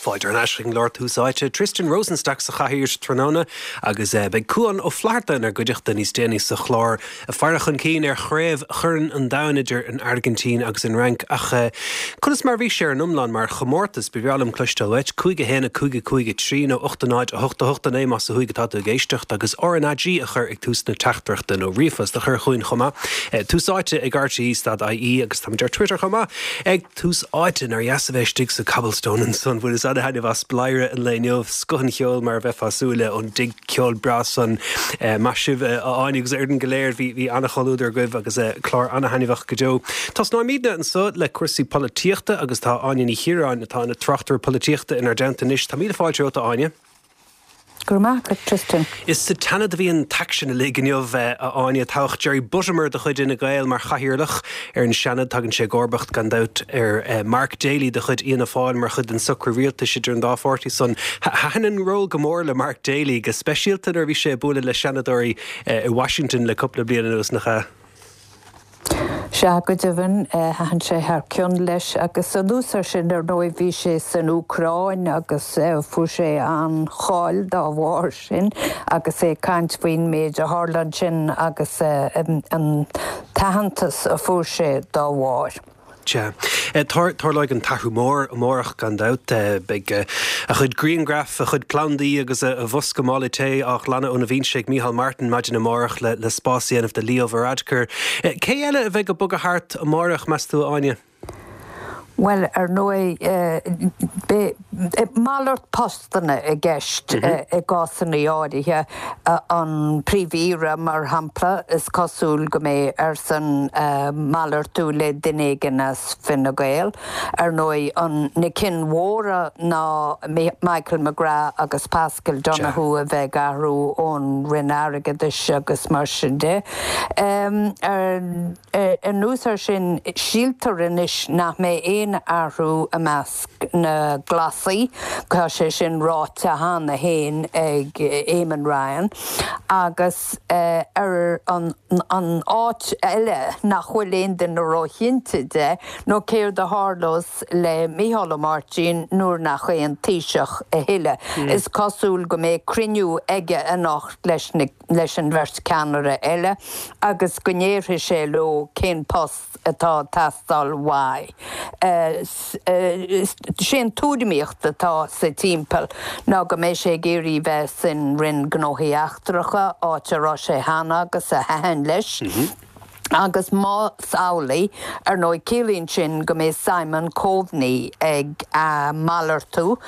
Fáilte thar n-ais chuig an gclár Tús Áite. Tristan Rosenstock sa chathaoir tráthnóna agus beidh Cuán Ó Flatharta inár gcuideachta níos déanaí sa chlár. Ag faire chun cinn ar chraobh Chorn an Domhain idir an Airgintín agus an Fhrainc ach conas mar a bhí sé ar an iomlán mar chomórtas? Ba bhreá liom cloisteáil uait. 5 1 5 5 3 nó 8 0 8 8 9 más ó thuaidh atá tú ag éisteacht agus RnaG a chur ag tús na teachtaireachta nó ríomhphost a chur chugainn chomh maith. Tús Áite ag rte.ie agus táimid ar Twitter chomh maith ag. Tús Áite, nár dheas a bheith istigh sa Cobblestone ansan. Bhaineas ana-thaitneamh as Bladhaire an lae inniu. Scoth an cheoil mar a bheifeá ag súil le ón dtigh ceoil breá san. Maith sibh a Áine agus a fhoireann go léir. Bhí bhí ana-chomhluadar agaibh agus clár ana-thaitneamhach go deo. Tosnóimidne anso le cúrsaí polaitíochta agus tá Áine Ní Chiaráin atá ina tráchtaire polaitíochta inár dteannta anois. Tá míle fáilte romhat a Áine. Go raibh maith agat, Tristan. Is sa tSeanad a bhí an t-aicsean uilig inniu, a Áine. Toghadh Jerry Buttimer de chuid Fhine Gael mar chathaoirleach ar an Seanad. Tagann sé i gcomharbacht, gan dabht, ar Mark Daly de chuid Fhianna Fáil mar chuid den socrú rialtais idir an dá pháirtí san. Thaitin an ról go mór le Mark Daly, go speisialta nuair a bhí sé ag bualadh le Seanadóirí i Washington le cúpla bliain anuas, nach ea? Sea, go deimhin, thaitin sé thar cionn leis agus anuas air sin, ar ndóigh, bhí sé san Úcráin agus fuair sé an-cháil dá bharr sin agus é ag caint faoin méid a tharla ansin agus an t-aitheantas a fuair sé dá bharr. Sea. Tarlóidh an t-athrú mór amárach gan dabht. Beidh a chuid grianghraf, a chuid plandaí agus a bhosca mála tae á ghlanadh óna bhinse ag Micheál Martin maidin amárach le spás a dhéanamh do Leo Varadkar. Cé eile a bheidh ag bogadh thart amárach, meas tú, a Áine? Bhuel, ar ndóigh, beidh malairt postanna i gceist i gcásanna áirithe. An Príomh-Aoire, mar shampla, is cosúil go mbeidh airsean malartú le duine éigin as Fine Gael. Ar ndóigh, an na cinn mhóra ná Michael McGrath agus Paschal Donohoe a bheidh ag athrú ón Roinn Airgeadais agus mar sin de. Anuas air sin, síltear anois nach mbeidh aon athrú i measc na nGlasaí, tá sé sin ráite cheana féin ag Eamon Ryan, agus ar an áit eile nach bhfuil aon duine róchinnte de nó céard a tharlós le Micheál Ó Máirtín nuair nach é an Taoiseach a thuilleadh. Is cosúil go mbeidh cruinniú aige anocht leis na. leis an bheirt ceannaire eile agus go ndéarfaidh sé leo cén post atá ag teastáil uaidh. Sé an tuairimíocht atá sa timpeall ná go mbeidh sé ag iarraidh bheith san Roinn Gnóthaí Eachtracha, áit a raibh sé cheana agus a thaitin leis. Agus más amhlaidh, ar ndóigh, ciallaíonn sin go mbeidh Simon Coveney ag malartú,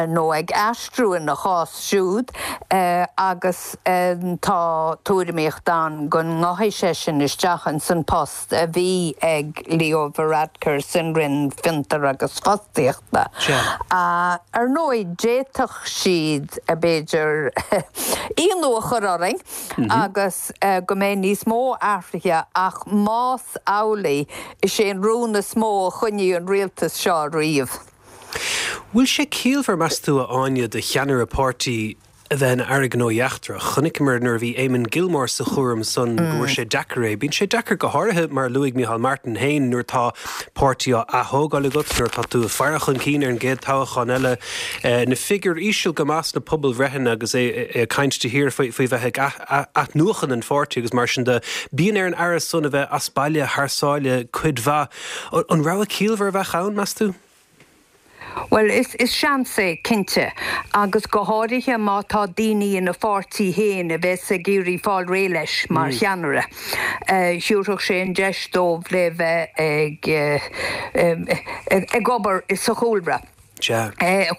nó ag aistriú ina chás siúd, agus tá tuairimíocht ann go ngabhfaidh seisean isteach ins an post a bhí ag Leo Varadkar san Roinn Fiontar agus Fostaíochta. Ar ndóigh, d'fhéadfadh siad, b'fhéidir, ionadh a chur orainn, agus go mbeidh níos mó athruithe ach más amhlaidh, is é an rún is mó a choinnigh an rialtas seo riamh. Bhfuil sé ciallmhar, meas tú, a Áine, do cheannaire páirtí a bheith ina Aire Gnóthaí Eachtrach? Chonaiceamar nuair a bhí Eamon Gilmore sa chúram san go bhfuair sé deacair é. Bíonn sé deacair go háirithe, mar a luaigh Micheál Martin féin, nuair atá páirtí á ath-thógáil agat, nuair atá tú ag faire chun cinn ar an gcéad toghchán eile. Na figiúir íseal go maith sna pobalbhreitheanna agus é ag caint de shíor faoi bheith ag athnuachan an pháirtí agus mar sin de. Bíonn ar an Aire san a bheith as baile thar sáile cuid mhaith. An rogha ciallmhar a bheadh ann, meas tú? Bhuel, is seans é, cinnte, agus go háirithe má tá daoine ina pháirtí féin a bheas ag iarraidh fáil réidh leis mar cheannaire. Thabharfadh sé an deis dóibh le bheith ag obair sa chúlra. Sea.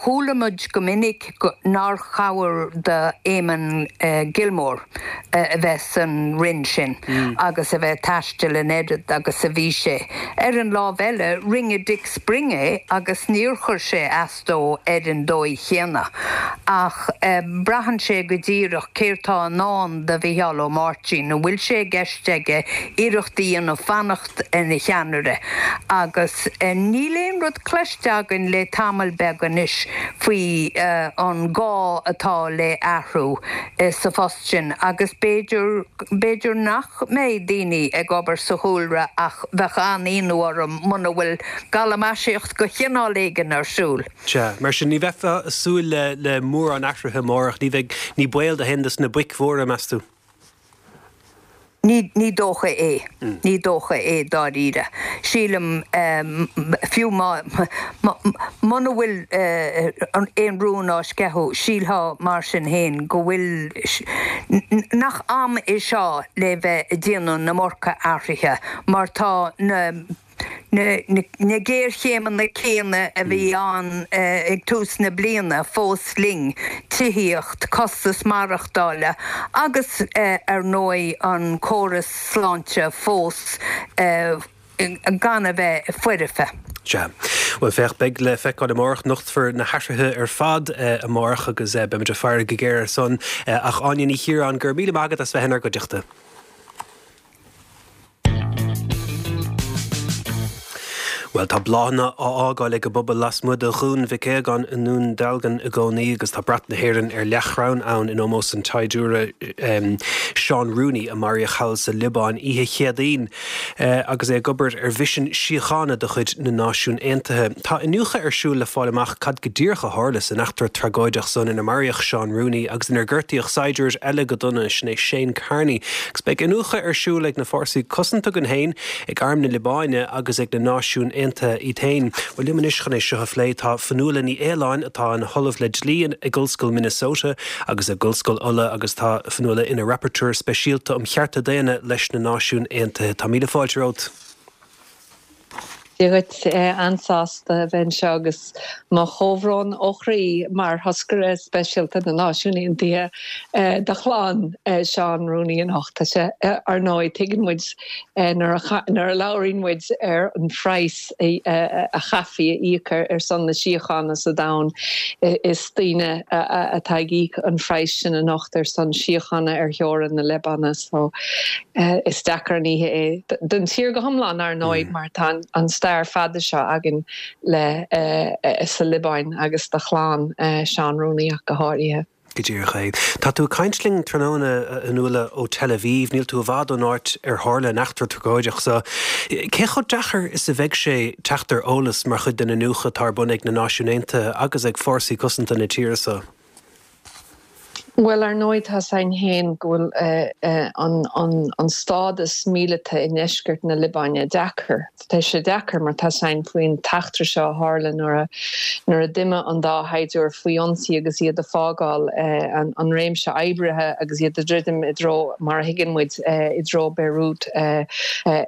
Chuala muid go minic nár chabhair do Eamon Gilmore a bheith san Roinn sin agus a bheith ag taisteal an oiread agus a bhí sé. Ar an lámh eile, rinne Dick Spring é agus níor chuir sé as dó ar an dóigh chéanna. Ach braitheann sé go díreach céard tá i ndán do Mhicheál Ó Máirtín. An bhfuil sé i gceist aige iarracht a dhéanamh fanacht ina cheannaire? Agus níl aon. rud cloiste againn le tamall beag anois faoi an gá atá le athrú sa phost sin agus b'fhéidir, b'fhéidir nach mbeidh daoine ag obair sa chúlra ach bheadh an-ionadh orm muna bhfuil galamaisíocht de chineál éigin ar siúl. Sea, mar sin ní bheifeá ag súil le mórán athruithe amárach, ní bheidh, ní baol do haon dos na boic mhóra, meas tú? Ní, ní dócha é. Ní dócha é dáiríre. Sílim, fiú má, muna bhfuil aon rún á sceitheadh, sílfeá mar sin féin go bhfuil, nach am é seo le bheith ag déanamh na iomarca athruithe mar tá na, Na géarchéimeanna céanna a bhí ann ag tús na bliana fós linn, tithíocht, costas maireachtála agus ar ndóigh an córas sláinte fós gan a bheith foirfe. Sea. Bhuel, féach, beidh le feiceáil amárach. Nochtfar na hathruithe ar fad amárach agus beimid ag faire go géar air san. Ach Áine Ní Chiaráin, go raibh míle maith agat as bheith inár gcuideachta. Bhuel, tá bláthanna á fhágáil ag an bpobal lasmuigh de Dhún Mhic Aogáin i nDún Dealgan i gcónaí agus tá brat na hÉireann ar leathchrann ann in ómós an tsaighdiúra Seán Rooney a maraíodh thall sa Liobáin oíche Chéadaoin agus é ag obair ar mhisean síochána de chuid na Náisiún Aontaithe. Tá iniúchadh ar siúl le fáil amach cad go díreach a tharla san eachtra tragóideach san inar maraíodh Seán Rooney agus inar gortaíodh saighdiúir eile go dona, sin é Shane Carney. Agus beidh iniúchadh ar siúl ag na fórsaí cosanta againn féin, ag Arm na Liobáine agus ag na Náisiúin Aontaithe iad féin. Bhuel, liom anois chun é seo a phlé tá Fionnuala Ní Aoláin atá ina hOllamh le Dlí ag Ollscoil Minnesota agus ag Ollscoil Uladh agus tá Fionnuala ina Rapporteur Speisialta um Chearta Daonna leis na Náisiúin Aontaithe. Tá míle fáilte romhat. Dia dhuit, an-sásta a bheith anseo agus mo chomhbhrón ó chroí mar Thoscaire Speisialta na Náisiún Aontaithe do chlann Seán Rooney anocht. Tá sé, ar ndóigh, tuigeann muid nuair a labhraíonn muid ar an phraghas a chaithfí a íoc ar son na síochána sa domhan, is daoine atá ag íoc an phraghais sin anocht ar son síochána ar theorainn na Liobáine. So. Is deacair an oíche é don tír go hiomlán, ar ndóigh, mar tá an stair fada seo againn le sa Liobáin agus do chlann Seán Rooney ach go háirithe. Go díreach é. Tá tú ag caint linn tráthnóna, a Fhionnuala, ó Tel Aviv. Níl tú i bhfad ón áit ar tharla an eachtra tragóideach seo. Cé chomh deacair is a bheidh sé teacht ar eolas mar chuid den iniúchadh atá ar bun ag na Náisiúin Aontaithe agus ag fórsaí cosanta na tíre seo? Bhuel, ar ndóigh, tá's againn féin go bhfuil an stádas míleata i ndeisceart na Liobáine deacair. Tá sé deacair mar tá's againn faoin t-eachtra seo a tharla nuair a nuair a d'imigh an dá shaighdiúir faoi ionsaí agus iad ag fágáil an réimse oibrithe agus iad ag druidim i dtreo, mar a thuigeann muid, i dtreo Beirut i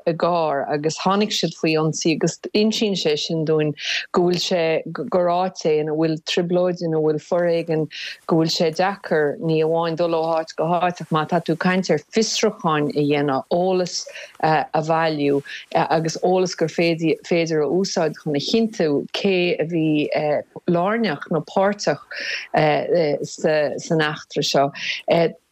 gcarr agus tháinig siad faoi ionsaí agus insíonn sé sin dúinn go bhfuil sé gur áit é ina bhfuil trioblóid, ina bhfuil foréigean, go bhfuil sé deacair ní amháin dul ó háit go háit ach má tá tú ag caint ar fiosrúcháin a dhéanamh, eolas a bhailiú agus eolas gur féidir a úsáid chun a chinntiú cé a bhí lárnach nó páirteach san eachtra seo.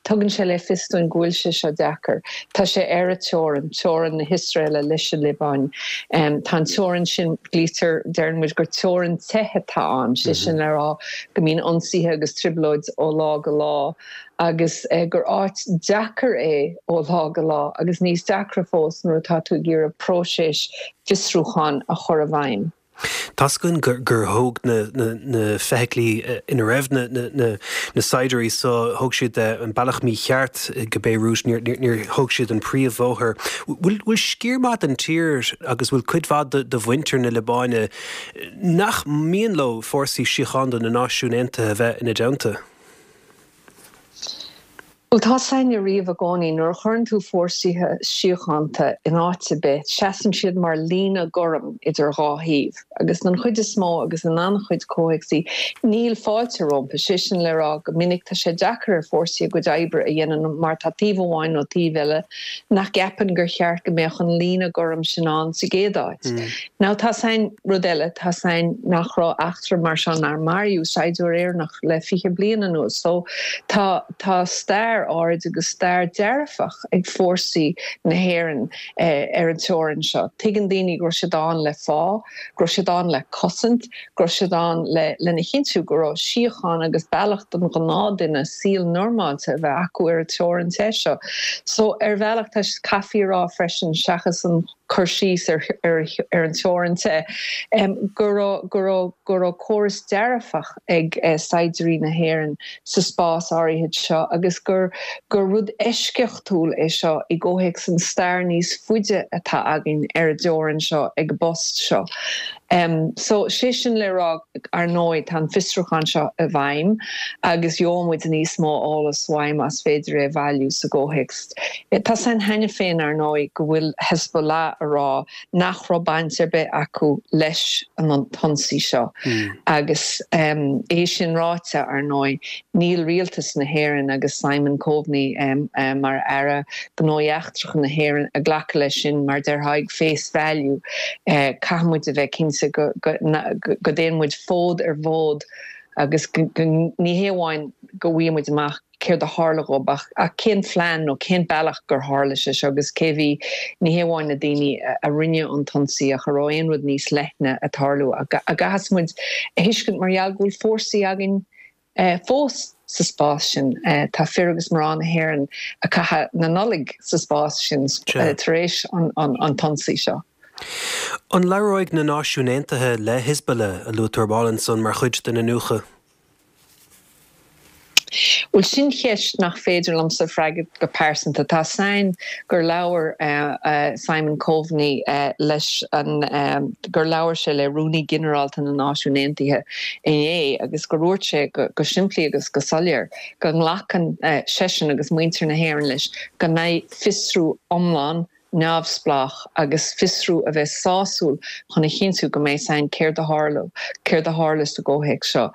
Tugann sé le fios dúinn go bhfuil sé seo deacair. Tá sé ar an teorainn, teorainn na hIosraeile leis an Liobáin. Tá an teorainn sin, glaoitear, deireann muid gur teorainn te atá ann, sé sin le rá go mbíonn ionsaithe agus trioblóid ó lá go lá agus gur áit deacair é ó lá go lá agus níos deacra fós nuair atá tú ag iarraidh próiseas fiosrúcháin a chur i bhfeidhm. Tá's againn gur thóg na feithiclí ina raibh na saighdiúirí so, thóg siad an bealach mícheart go Beirut, níor thóg siad an príomhbhóthar. Bhfuil sciar maith den tír agus bhfuil cuid mhaith de mhuintir na Liobáine nach mian leo fórsaí síochánta na Náisiún Aontaithe a bheith ina dteannta? Bhuel, tá's againne riamh i gcónaí, nuair a chuireann tú fórsaí síochánta in áit ar bith, seasann siad mar líne gorm idir dhá thaobh. Agus don chuid is mó, agus in an-chuid comhthéacsaí, níl fáilte rompu. Sé sin le rá, go minic tá sé deacair ar fórsaí a gcuid oibre a dhéanamh mar tá taobh amháin nó taobh eile nach gceapann gur cheart go mbeadh an líne gorm sin ann sa gcéad áit. Now, tá's againn rud eile, tá's againn nach raibh eachtra mar seo nár maraíodh saighdiúir Éireannach le 20 bliain anuas. So, tá, tá stair. stair áirid agus stair dearfach ag fórsaí na hÉireann ar an teorainn seo. Tuigeann daoine go raibh siad ann le fáth, go raibh siad ann le cosaint, go raibh siad ann le lena chinntiú go raibh síocháin agus bealach don ghnáthduine saol normálta a bheith acu ar an teorainn te seo. So ar bhealach tá, caithfí a rá freisin, seachas an cur síos ar ar an teorainn te, go raibh go raibh go raibh córas dearfach ag saighdiúirí na hÉireann sa spás áirithe seo agus gur gur rud eisceachtúil é seo i gcomhthéacs an stair níos faide atá againn ar an dteorainn seo ag an bpost seo. So, sé sin le rá, ar ndóigh, tá an fiosrúchán seo i bhfeidhm agus gheobhaidh muid níos mó eolas uaidh más féidir é a bhailiú sa gcomhthéacs. Tá 's a'inn cheana féin, ar ndóigh, go bhfuil Hezbollah a rá nach raibh baint ar bith acu leis an t-ionsaí seo. Agus é sin ráite, ar ndóigh, níl rialtas na hÉireann agus Simon Coveney mar Aire Gnóthaí Eachtracha na hÉireann ag glacadh leis sin mar déarfá ag face value. Caithfidh muid a bheith cinnte go dtéann muid fód ar bhfód agus ní hé amháin go bhfaighidh muid amach céard a tharla dhób ach cén phlean nó cén bealach gur tharla sé seo agus cé bhí, ní hé amháin na daoine a rinne an t-ionsaí ach a raibh aon rud níos leithne ag tarlú a gcaithfeas muid a thuiscint mar gheall go bhfuil fórsaí againn fós sa spás sin. Tá fir agus mná na hÉireann ag caitheamh na Nollag sa spás sin tar éis an t-ionsaí seo. An labhróidh na Náisiúin Aontaithe le Hezbollah, a luaigh tú ar ball ansan, mar chuid den iniúchadh? Bhuel, sin ceist nach féidir liomsa freagairt go pearsanta. Tá 's a'inn gur labhair Simon Coveney leis an, gur labhair sé le Rúnaí Ginearálta na Náisiún Aontaithe inné agus gur dhúirt sé go simplí agus go soiléir go nglacann seisean agus muintir na hÉireann leis go mbeidh fiosrú iomlán neamhspleách agus fiosrú a bheas sásúil chun a chinntiú go mbeidh 's a'inn céard a tharla, céard a tharla sa gcomhthéacs seo.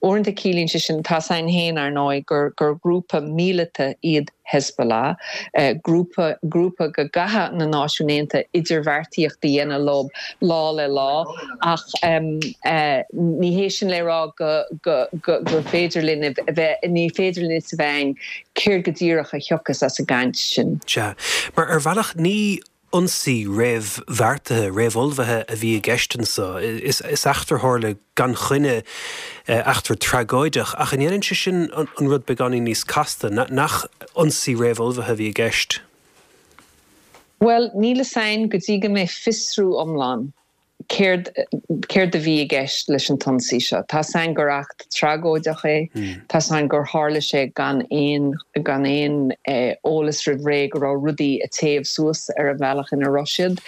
Uaireanta ciallaíonn sé sin, tá 's a'inn féin, ar ndóigh, gur gur grúpa míleata iad Hezbollah, grúpa grúpa go gcaithfidh na Náisiúin Aontaithe idirbheartaíocht a dhéanamh leo lá le lá, ach ní hé sin le rá go go go gur féidir linn a bheith, ní féidir linn a fhios a bheith a'inn céard go díreach a thiocfas as an gcaint sin. Sea, mar ar bhealach ní ionsaí réamhbheartaithe, réamhullmhaithe a bhí i gceist anso. Is eachtra a tharla gan choinne, eachtra tragóideach, ach an ndéanann sé sin an rud beagáinín níos casta, nach ionsaí réamhullmhaithe a bhí i gceist? Bhuel, níl fhios a'inn go dtí go mbeidh fiosrú iomlán Céard, céard a bhí i gceist leis an t-ionsaí seo? Tá 's a'inn gur eachtra tragóideach é. Tá 's a'inn gur tharla sé gan aon, gan aon eolas roimh ré go raibh rudaí ag téamh suas ar an bhealach ina raibh siad.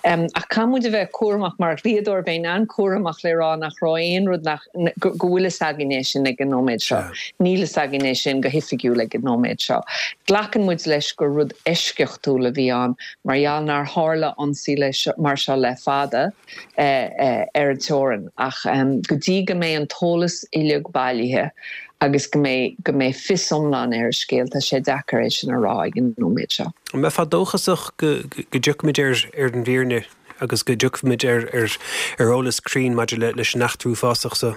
Ach caithfidh muid a bheith cúramach, mar dhlíodóir bheinn an-chúramach le rá nach raibh aon rud nach, go bhfuil fhios againn é sin ag an nóiméad seo. Níl fhios againn é sin go hoifigiúil ag an nóiméad seo. Glacann muid leis gur rud eisceachtúil a bhí ann mar gheall nár tharla ionsaí mar seo le fada ar an teorainn ach go dtí go mbeidh an t-eolas uilig bailithe agus go mbeidh go mbeidh fios iomlán ar an scéal, tá sé deacair é sin a rá ag an nóiméad seo. An mbeifeá dóchasach go dtiocfaimid ar an bhfírinne agus go dtiocfaimid ar eolas cruinn maidir leis an eachtra uafásach seo?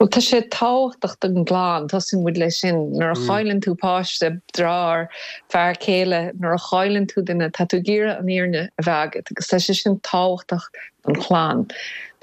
Bhuel, tá sé tábhachtach don gclann, tosaíonn muid leis sin. Nuair a chailleann tú páiste, deartháir, fear céile, nuair a chailleann tú duine, tá tú ag iarraidh an fhírinne a bheith agat agus tá sé sin tábhachtach don chlann.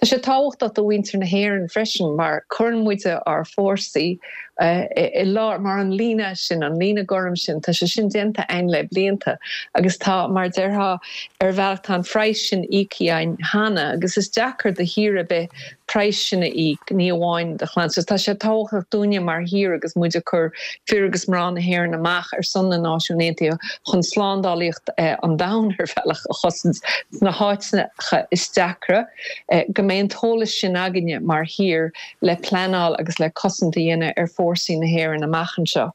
Tá sé tábhachtach do mhuintir na hÉireann freisin mar cuireann muide ár bhfórsaí i lár, mar an líne sin, an líne gorm sin, tá sé sin déanta againn le blianta agus tá, mar déarfá, ar bhealach tá an phraghas sin íoctha againn cheana agus is deacair do thír ar bith praghas sin a íoc, ní amháin do chlann. So tá sé tábhachtach dúinne mar thír agus muid ag cur fir agus mná na hÉireann amach ar son na Náisiún Aontaithe chun slándálaíocht an domhain ar bhealach a chosaint sna háiteacha is deacra, go mbeidh an t-eolas sin againne mar thír le pleanáil agus le cosaint a dhéanamh ar fórsaí na hÉireann amach anseo.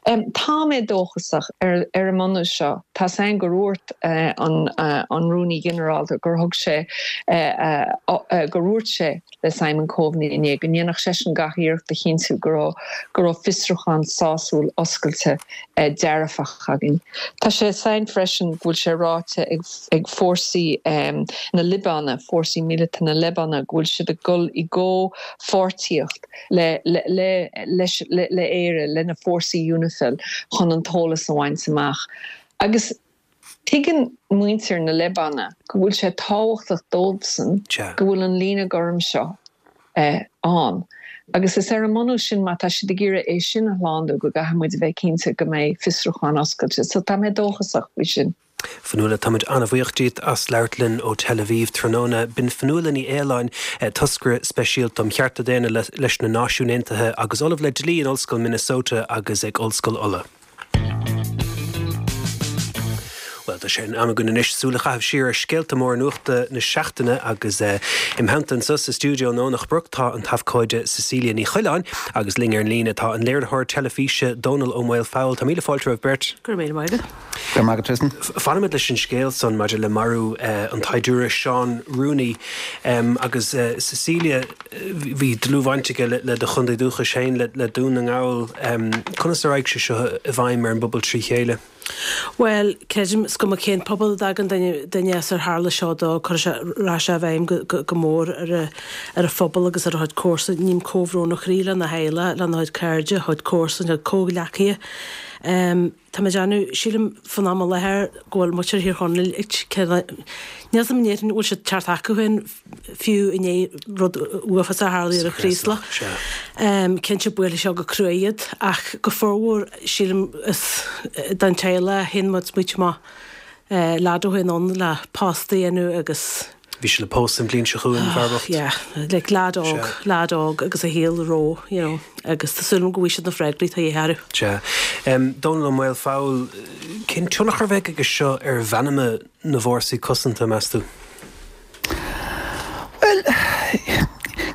Tá mé dóchasach ar an mbunús seo. Tá 's a'inn gur dhúirt an Rúnaí Ginearálta gur thug sé, gur dhúirt sé le Simon Coveney inné go ndéanfadh seisean gach iarracht a chinntiú go raibh, go raibh fiosrúchán sásúil oscailte dearfach againn. Tá sé 's a'inn freisin go bhfuil sé ráite ag fórsaí na Liobáine. Liobáine, fórsaí míleata na Liobáine, go bhfuil siad ag dul i gcomhpháirtíocht le, le, le, leis, le, le Éire, le na fórsaí Unifil chun an t-eolas a bhaint amach. Agus tuigeann muintir na Liobáine go bhfuil sé tábhachtach dóibhsan go bhfuil an líne gorm seo ann. Agus is ar an mbunús sin, má tá siad ag iarraidh é sin a shlánú, go gcaithfidh muid a bheith cinnte go mbeidh fiosrúchán oscailte. So tá mé dóchasach faoi sin. Fionnuala, táimid an-bhuíoch díot as labhairt linn ó Tel Aviv tráthnóna. B'in Fionnuala Ní Aoláin, toscaire speisialta um chearta daonna leis na Náisiúin Aontaithe agus Ollamh le Dlí in Ollscoil Minnesota agus ag Ollscoil Uladh. Bhuel, tá sé in am againn anois súil a chaitheamh siar ar scéalta móra nuachta na seachtaine agus im theannta anseo sa stiúideo i nDomhnach Broc tá an t-abhcóide Cecilia Ní Choileáin agus linn ar an líne tá an léiritheoir teilifíse Dónal Ó Maolfabhail. Tá míle fáilte romhaibh beirt. Go raibh míle maith agat. Go raibh maith agat, Tristan. Fanfaimid leis an scéal san maidir le marú an tsaighdiúra Seán Rooney agus Cecilia, Bhí dlúthbhaint aige le do chontae dúchais féin, le Dún na nGall. Conas a raghaidh sé seo i bhfeidhm ar an bpobal trí chéile? Bhuel, creidim, is cuma cén pobal a dtagann duine as ar tharla seo dó, cuirfidh sé, rachaidh sé i bhfeidhm go mór ar a phobal agus ar a chuid comharsan. Ním comhbhrón ó chroí lena theaghlach, lena chuid cairde, a chuid comharsan, a chuid comhghleacaithe. Tá mé ag déanamh, sílim, fán am i láthair go bhfuil muintir Thír Chonaill ag, níl 'fhios a'm an ndéarfainn go bhfuil siad teacht acu féin fiú i ndiaidh rud uafásach a tharlaigh ar an Chraoslach. Cinnte buailfidh seo go crua iad ach go formhór sílim is don teaghlach a théann muid smaoitiú amach leaid ó shin ann le post a dhéanamh agus Bhí sé le pósadh an bhliain seo chugainn, an fear bocht. Yeah, like leaid óg, leaid óg agus a shaol ró, you know, agus tá súil agam go bhfaighidh siad na freagraí atá de dhíth orthu. Sea. Dónal Ó Maolfabhail, cén tionchar a bheidh aige seo ar mheanma na bhfórsaí cosanta, meas tú? Bhuel,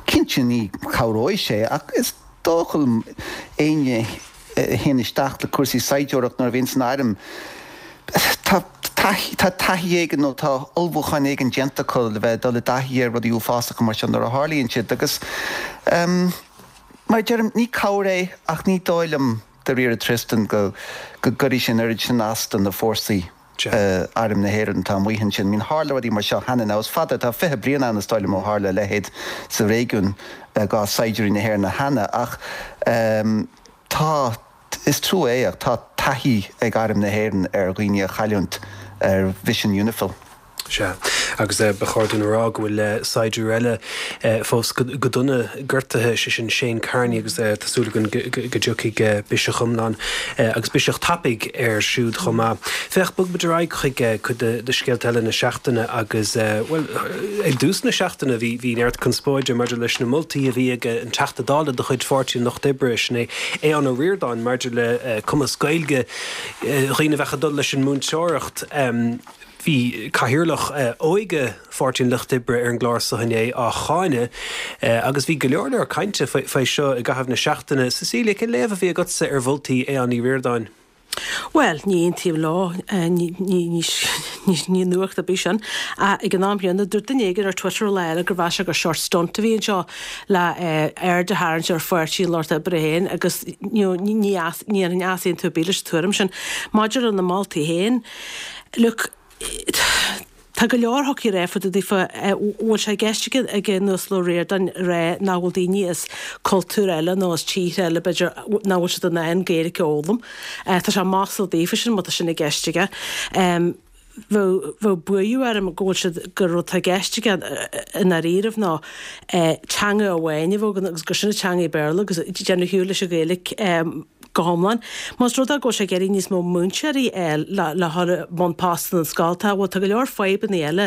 cinnte ní chabhróidh sé ach is dócha liom éinne a théann isteach le cúrsaí saighdiúireacht nuair a bhíonn san airm, tá tá taithí éigin nó tá ullmhúchán éigin déanta acu le bheith ag dul i dtaithí ar rudaí uafásacha mar seo nuair a tharlaíonn siad agus mar a deirim, ní cabhair é ach ní dóigh liom dáiríre Tristan go go gcuirfidh sé an oiread sin as do na fórsaí. Arm na hÉireann atá amuigh ansin. I mean tharla rudaí mar seo cheana. Now is fada, tá 20 bliain ann is dóigh liom ó tharla a leithéid sa réigiún i gcás saighdiúirí na hÉireann cheana ach tá, is trua é ach tá taithí ag Arm na hÉireann ar dhaoine a chailliúint ar mhisean Unifil. Sea, agus ba chóir dúinn a rá go bhfuil saighdiúir eile fós go dona gortaithe, sé sin Shane Kearney agus tá súil againn go dtiocfaidh biseach iomlán agus biseach tapaidh air siúd chomh maith. Féach, bogfaimid ar aghaidh chuig cuid de scéalta eile na seachtaine agus, bhuel, ag dtús na seachtaine bhí bhí neart conspóide maidir leis na moltaí a bhí ag an Teachta Dála de chuid Pháirtí an Lucht Oibre, sin é Aodhán Ó Ríordáin, maidir le cumas Gaeilge dhaoine a bheadh ag dul leis an múinteoireacht. Bhí Cathaoirleach Óige Pháirtí an Lucht Oibre ar an gclár seo inné á cháineadh agus bhí go leor leor cainte faoi seo i gcaitheamh na seachtaine. Cecilia, cén léamh a bhí agatsa ar mholtaí Aodhán Uí Ríordáin? Bhuel, ní aontaím leo, ní nuacht ar bith sin. Ach ag an am chéanna, dúirt duine éigin ar Twitter lá eile gur mheas sé gur short stunt a bhí anseo le aird a tharraingt ar Pháirtí an Lucht Oibre féin agus ní dhéanfainn easaontú ar bith leis an tuairim sin. Maidir lena moltaí féin, Look, tá go leor a thiocfaí a rá fá dtaobh daofa, bhfuil sé i gceist ag an Uasal Ó Ríordáin a rá nach bhfuil daoine as cultúir eile nó as tíortha eile b'fhéidir nach bhfuil siad in ann Gaeilge a fhoghlaim. Tá sé maslach daofa sin má tá sin i gceist aige. Bheadh, bheadh buartha orm go bhfuil siad, gur rud atá i gceist aige i ndáiríribh ná teanga amháin a bheadh againn agus gur sin an teanga Béarla agus déanamh ar shiúl leis an Ghaeilge. go hiomlán. Más rud é go bhfuil sé ag iarraidh níos mó múinteoirí a fháil le dhul i mbun postanna na scoltacha, bhuel tá go leor fadhbanna eile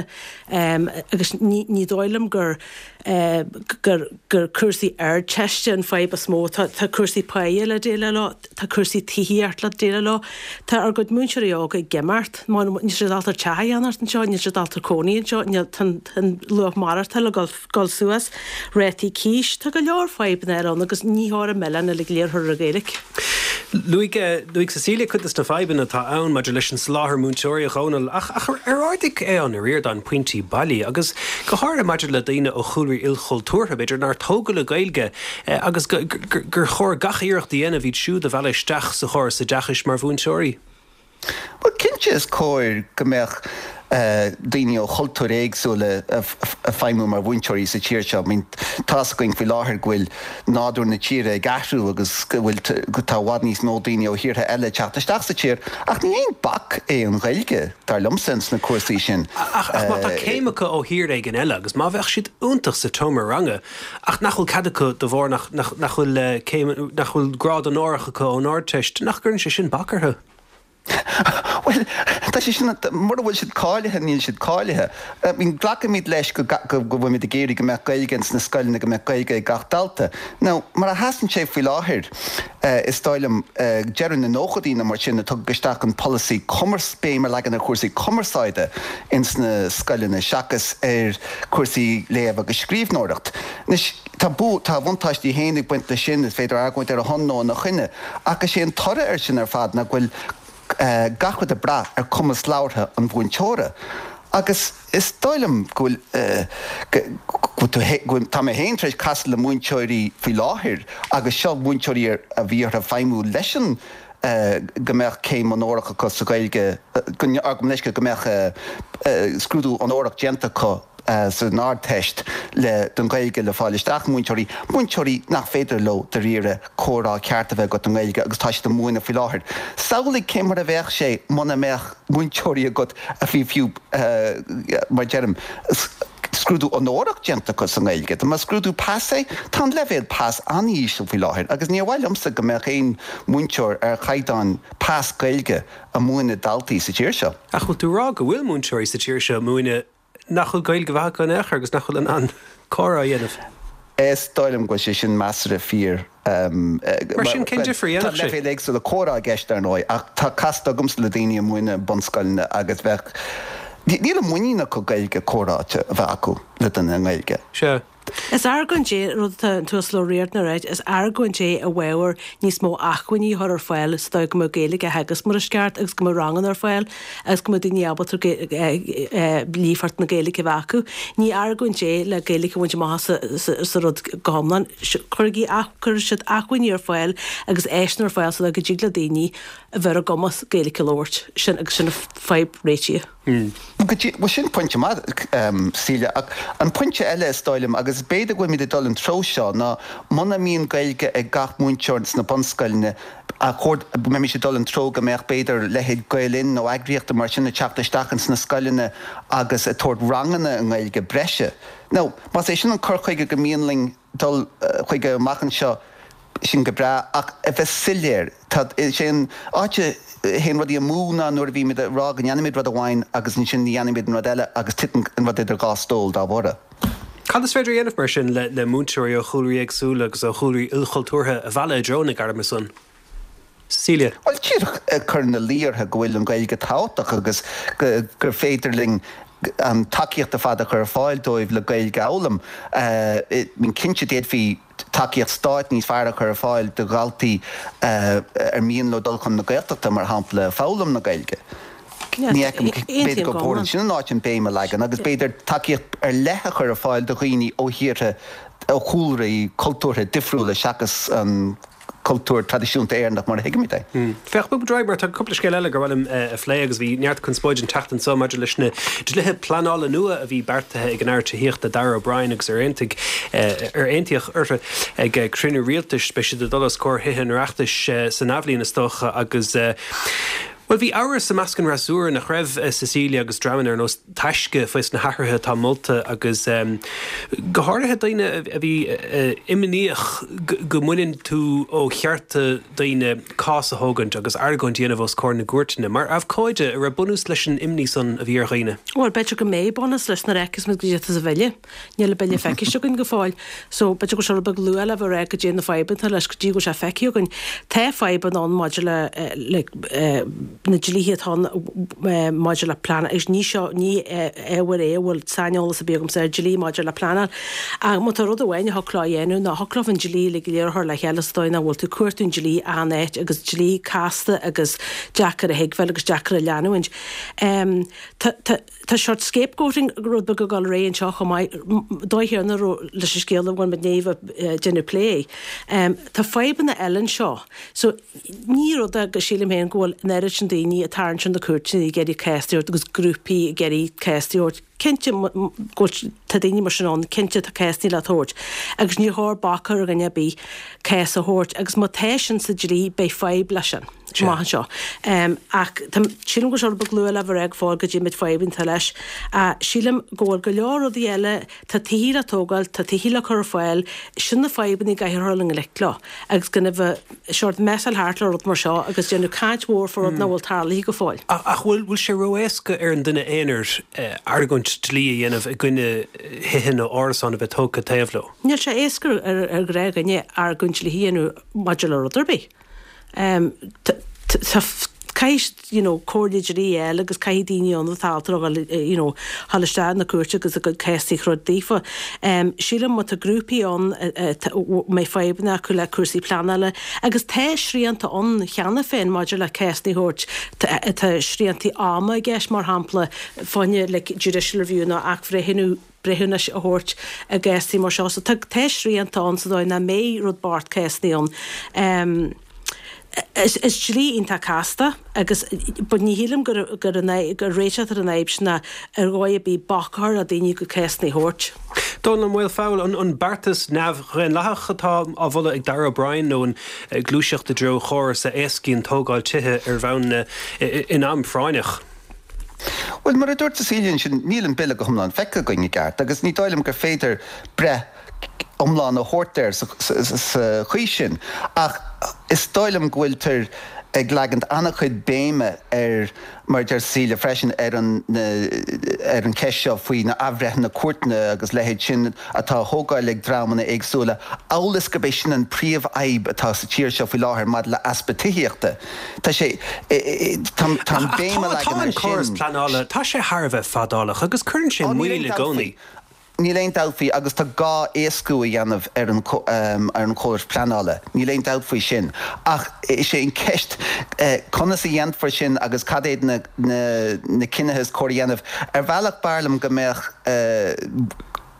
agus ní dóigh liom gur gur gur cúrsaí Ardteiste an fadhb is mó. Tá tá cúrsaí páighe le déileáil leo, tá cúrsaí tithíocht le déileáil leo. Tá ár gcuid múinteoirí óga ag imeacht, níl siad ábalta teach a cheannacht anseo, níl siad ábalta cónaí anseo, níl tá an luach maireachtála ag dul dul suas, rátaí cíos, tá go leor fadhbanna eile ann agus ní chóir an milleán uilig go léir a chur ar an Ghaeilge. Luaigh, luaigh Cecilia cuid de na fadhbanna atá ann maidir leis an soláthar múinteoirí, a Dhónaill, ach, ach ar ardaigh Aodhán Ó Ríordáin pointí bailí, agus go háirithe maidir le daoine ó chúlraí ilchultúrtha, b'fhéidir, nár tógadh le Gaeilge, agus go, gur, gur chóir gach iarracht a dhéanamh iad siúd a mhealladh isteach sa chóras oideachais mar mhúinteoirí? Bhuel, cinnte is cóir go mbeadh. daoine ó chultúir éagsúla ag feidhmiú mar mhúinteoirí sa tír seo. I mean, tá's againn faoi láthair go bhfuil nádúr na tíre ag athrú agus go bhfuil, tá i bhfad níos mó daoine ó thíortha eile ag teacht isteach sa tír, ach ní aon bac é an Ghaeilge, dar liomsa, ins na cúrsaí sin. Ach má tá céim acu ó thír éigin eile agus má bheadh siad iontach sa tseomra ranga ach nach bhfuil cead acu de bharr nach, nach, nach bhfuil céim, nach bhfuil grád onórach acu ón Ardteist, nach gcuireann sé sin bac orthu? Bhuel, tá sé sin, mura bhfuil siad cáilithe, níl siad cáilithe. I mean, glacaimid leis go go bhfuilimid ag iarraidh go mbeadh Gaeilge ins na scoileanna, go mbeadh Gaeilge ag gach dalta. Now, mar a sheasann sé faoi láthair, is dóigh liom, deireadh na nóchaidí nó mar sin a tugadh isteach an polasaí cumars, béim a leagan ar chúrsaí cumarsáide ins na scoileanna seachas ar chúrsaí léamh agus scríbhneoireacht. Anois, tá bua, tá a bhuntáistí féin ag baint leis sin, is féidir argóint ar a shon nó ina choinne, ach is é an toradh air sin ar fad ná go bhfuil gach rud ag brath ar chumas labhartha an mhúinteora. Agus is dóigh liom go bhfuil, go bhfuil, tá mé féin tar éis casadh le múinteoirí faoi láthair agus seo múinteoirí a bhí orthu feidhmiú leis an, go mbeadh céim onórach acu sa Ghaeilge, go, gabh mo leithscéal, go mbeadh scrúdú onórach déanta acu san Ardteist le, don Ghaeilge le fáil isteach, múinteoirí, múinteoirí nach féidir leo dáiríre comhrá ceart a bheith agat i nGaeilge agus tá siad ag múineadh faoi láthair. Samhlaigh cé mar a bheadh sé muna mbeadh múinteoirí agat a bhí fiú, mar deirim, scrúdú onórach déanta acu sa nGaeilge. Dá mba scrúdú pas é, tá an leibhéal pas an-íseal faoi láthair agus níor mhaith liomsa go mbeadh aon mhúinteoir ar chaighdeán pas Gaeilge ag múineadh daltaí sa tír seo. Ach bhfuil tú ag rá go bhfuil múinteoirí sa tír seo ag múineadh nach bhfuil Gaeilge mhaith acu in aon chor agus nach bhfuil in ann comhrá a dhéanamh? Is dóigh liom go bhfuil sé sin measartha fíor. Mar sin, cén difear a dhéanfadh sé? Tá leibhéil éagsúla comhrá i gceist, ar ndóigh, ach tá casta agamsa le daoine a mhúineann bunscoileanna agus bheadh, níl an muinín acu Gaeilge comhráite a bheith acu le duine i nGaeilge. Sea. Is argóint é, rud atá an tUasal Ó Riordáin a ráit, is argóint é i bhfabhar níos mó acmhainní a chur ar fáil sa dóigh go mbeadh Gaeilge á theagasc mar is ceart agus go mbeadh ranganna ar fáil agus go mbeadh daoine ábalta líofacht na Gaeilge a bheith acu. Ní argóint é le Gaeilge a bhaint amach sa rud go hiomlán. Cuirigí, cuirfidh siad acmhainní ar fáil agus áiseanna ar fáil sa dóigh go dtig le daoine a bheith ar a gcumas Gaeilge a labhairt. Sin agus sin an fadhb réitithe. Bhuel, sin pointe maith, Celia, ach an pointe eile, is dóigh liom, agus b'fhéidir go bhfuilimid ag dul an treo seo, ná muna mbíonn Gaeilge ag gach múinteoir sna bunscoileanna, ar chóir go mbeimis ag dul an treo go mbeadh, b'fhéidir, leithéid Gael Linn nó eagraíochta mar sin ag teacht isteach ins na scoileanna agus ag tabhairt ranganna i nGaeilge breise. Now, más é sin an cur chuige gur mian linn dul chuige amach anseo, sin go breá, ach a bheith soiléir, tá, is é an áit a théann rudaí amú ná nuair a bhímid ag rá go ndéanfaimid rud amháin agus ansin ní dhéanaimid an rud eile agus titeann an rud idir dhá stól dá bharr. Cad is féidir a dhéanamh mar sin le le múinteoirí ó chúlraí éagsúla agus ó chúlraí ilchultúrtha a mhealladh i dtreo na gairme san? Cecilia. Bhuel, díreach ag cur ina luí orthu go bhfuil an Ghaeilge tábhachtach agus gur féidir linn an tacaíocht ar fad a chur ar fáil dóibh le Gaeilge a fhoghlaim. I mean, cinnte d'fhéadfaí tacaíocht stáit níos fearr a chur ar fáil do dhaltaí ar mian leo dul chun na Gaeltachta, mar shampla, foghlaim na Gaeilge. Ní fheicim, b'fhéidir gur chóir ansin an áit an béim a leagan agus b'fhéidir tacaíocht ar leith a chur ar fáil do dhaoine ó thíortha, ó chúlraí cultúrtha difriúla seachas an cultúr traidisiúnta Éireannach mar a thuigimid é. Féach, bogfaidh muid ar aghaidh mar tá cúpla scéal eile gur mhaith liom a phlé agus bhí neart conspóide an tseachtain seo maidir leis na dlíthe pleanála nua a bhí beartaithe ag an Aire Tithíochta Darragh O'Brien agus ar aontaigh ar aontaíodh orthu ag cruinniú rialtais. Beidh siad ag dul os comhair Thithe an Oireachtais san athbhliain is dócha agus bhuel bhí amhras i measc an fhreasúra nach raibh Cecilia agus dreamanna ar nós Taisce faoi na hathruithe atá molta agus go háirithe daoine a bhí imníoch go mbaineann tú ó chearta daoine cás a thógaint agus argóint a dhéanamh os comhair na gcúirteanna. Mar abhcóide, an raibh bunús leis an imní san a bhí ar dhaoine? Bhuel, b'fhéidir go mbeidh bunús leis nuair a fheicfeas muid goidé atá sa bhille. Níl an bille feicthe againn go fóill. So, b'fhéidir go bhfuil sé rud beag luath le bheith ag rá goidé na fadhbanna atá leis go dtí go bhfuil sé feicthe againn. Tá fadhbanna ann maidir le, le, na dlíthe atá ann maidir le pleanáil agus ní seo, ní ábhar é a bhfuil saineolas ar bith agamsa ar dlí maidir le pleanáil. Ach má tá rud amháin a thiocfadh leo a dhéanamh ná thiocfadh leo an dlí uilig go léir a chur le chéile sa dóigh nach bhfuil tú ag cuartú an dlí achan áit agus dlí casta agus deacair a thuigbheáil agus deacair a leanúint. Tá, tá. Tá seort scapegoating rud beag ag dul ar aghaidh anseo chomh maith, dóigh chéanna leis an scéal a bhfuil muid i ndiaidh a bheith ag déanamh plé. Tá fadhbanna eile anseo. So, ní rud é go sílim féin go bhfuil an oiread sin. sin daoine ag tarraingt ar na cúirteanna ag iarraidh cás a thabhairt agus grúpaí ag iarraidh cás a thabhairt. Cinnte go bhfuil, tá daoine mar sin ann, cinnte tá cásanna le tabhairt agus níor chóir bac a chur ar dhuine ar bith cás a thabhairt agus má tá sin sa dlí beidh fadhb leis sin amach anseo. Ach tá, sílim go bhfuil sé rud beag luath le bheith ag rá go fóill goidé na fadhbanna atá leis. Sílim go bhfuil go leor rudaí eile, tá tithí le tógáil, tá tithí le cur ar fáil, sin na fadhbanna a gcaithfear dul i ngleic leo agus gan a bheith sórt messáil thart le rud mar seo agus déanamh caint mhór fá rud nach bhfuil tarlaithe go fóill. Ach bhfuil sé ró-éasca ar an duine aonair argóint dlí a dhéanamh i gcoinne thithe nó árasán a bheith tógtha taobh leo? Níl sé éasca ar ghnáthdhuine argóint dlí a dhéanamh maidir le rud ar bith. Tá caithfidh you know comhairle dlí a fháil agus caithfidh daoine ann atá ábalta a dhul you know dhul isteach na cúirte agus a gcuid céasaí a throid daofa. Sílim má tá grúpaí ann a mbeidh fadhbanna acu le cúrsaí pleanála agus tá srianta ann cheana féin maidir le cásanna a thabhairt, tá sriantaí ama i gceist mar shampla fá choinne like judicial review nó athbhreithniú breithiúnais a thabhairt i gcásanna mar seo. So tá tá srianta ann sa dóigh nach mbeidh rud bocht cásanna ann. Is is dlí iontach casta agus but ní shílim gur gur an gur réiteach ar an fhadhb sin ná ar dhóigh ar bith bac a chur ar daoine a gcuid cásanna a thabhairt. Dónall Ó Maolfabhail, an an beartas neamhdhaonlathach atá á mholadh ag Darragh O'Brien nó an gluaiseacht i dtreo chóras a éascaíonn tógáil tithe ar bhonn in am phráinneach? Bhuel, mar a dúirt Cecilia ansin, níl an Bille go hiomlán feicthe againn i gceart agus ní dóigh liom gur féidir breith iomlán a thabhairt air sa chaoi sin. Ach is dóigh liom go bhfuiltear ag leagaint an-chuid béime ar, mar a deir Cecilia freisin, ar an ar an cheist seo faoi na athbhreithnithe cúirteanna agus leithéid sin atá á thógáil ag dreamanna éagsúla, amhail is gurb é sin an príomhfhadhb atá sa tír seo faoi láthair maidir le easpa tithíochta. Tá sé, tá an béim a leagan ar sin. Tá an córas pleanála, tá sé thar a bheith fadálach agus cuireann sé moill i gcónaí. Níl aon dabht faoi agus tá gá éascú a dhéanamh ar an ar an chóras pleanála, níl aon dabht faoi sin. Ach is é an ceist conas a dhéanfar sin agus cad iad na na cinnithe is cóir a dhéanamh. Ar bhealach b'fhearr liom go mbeadh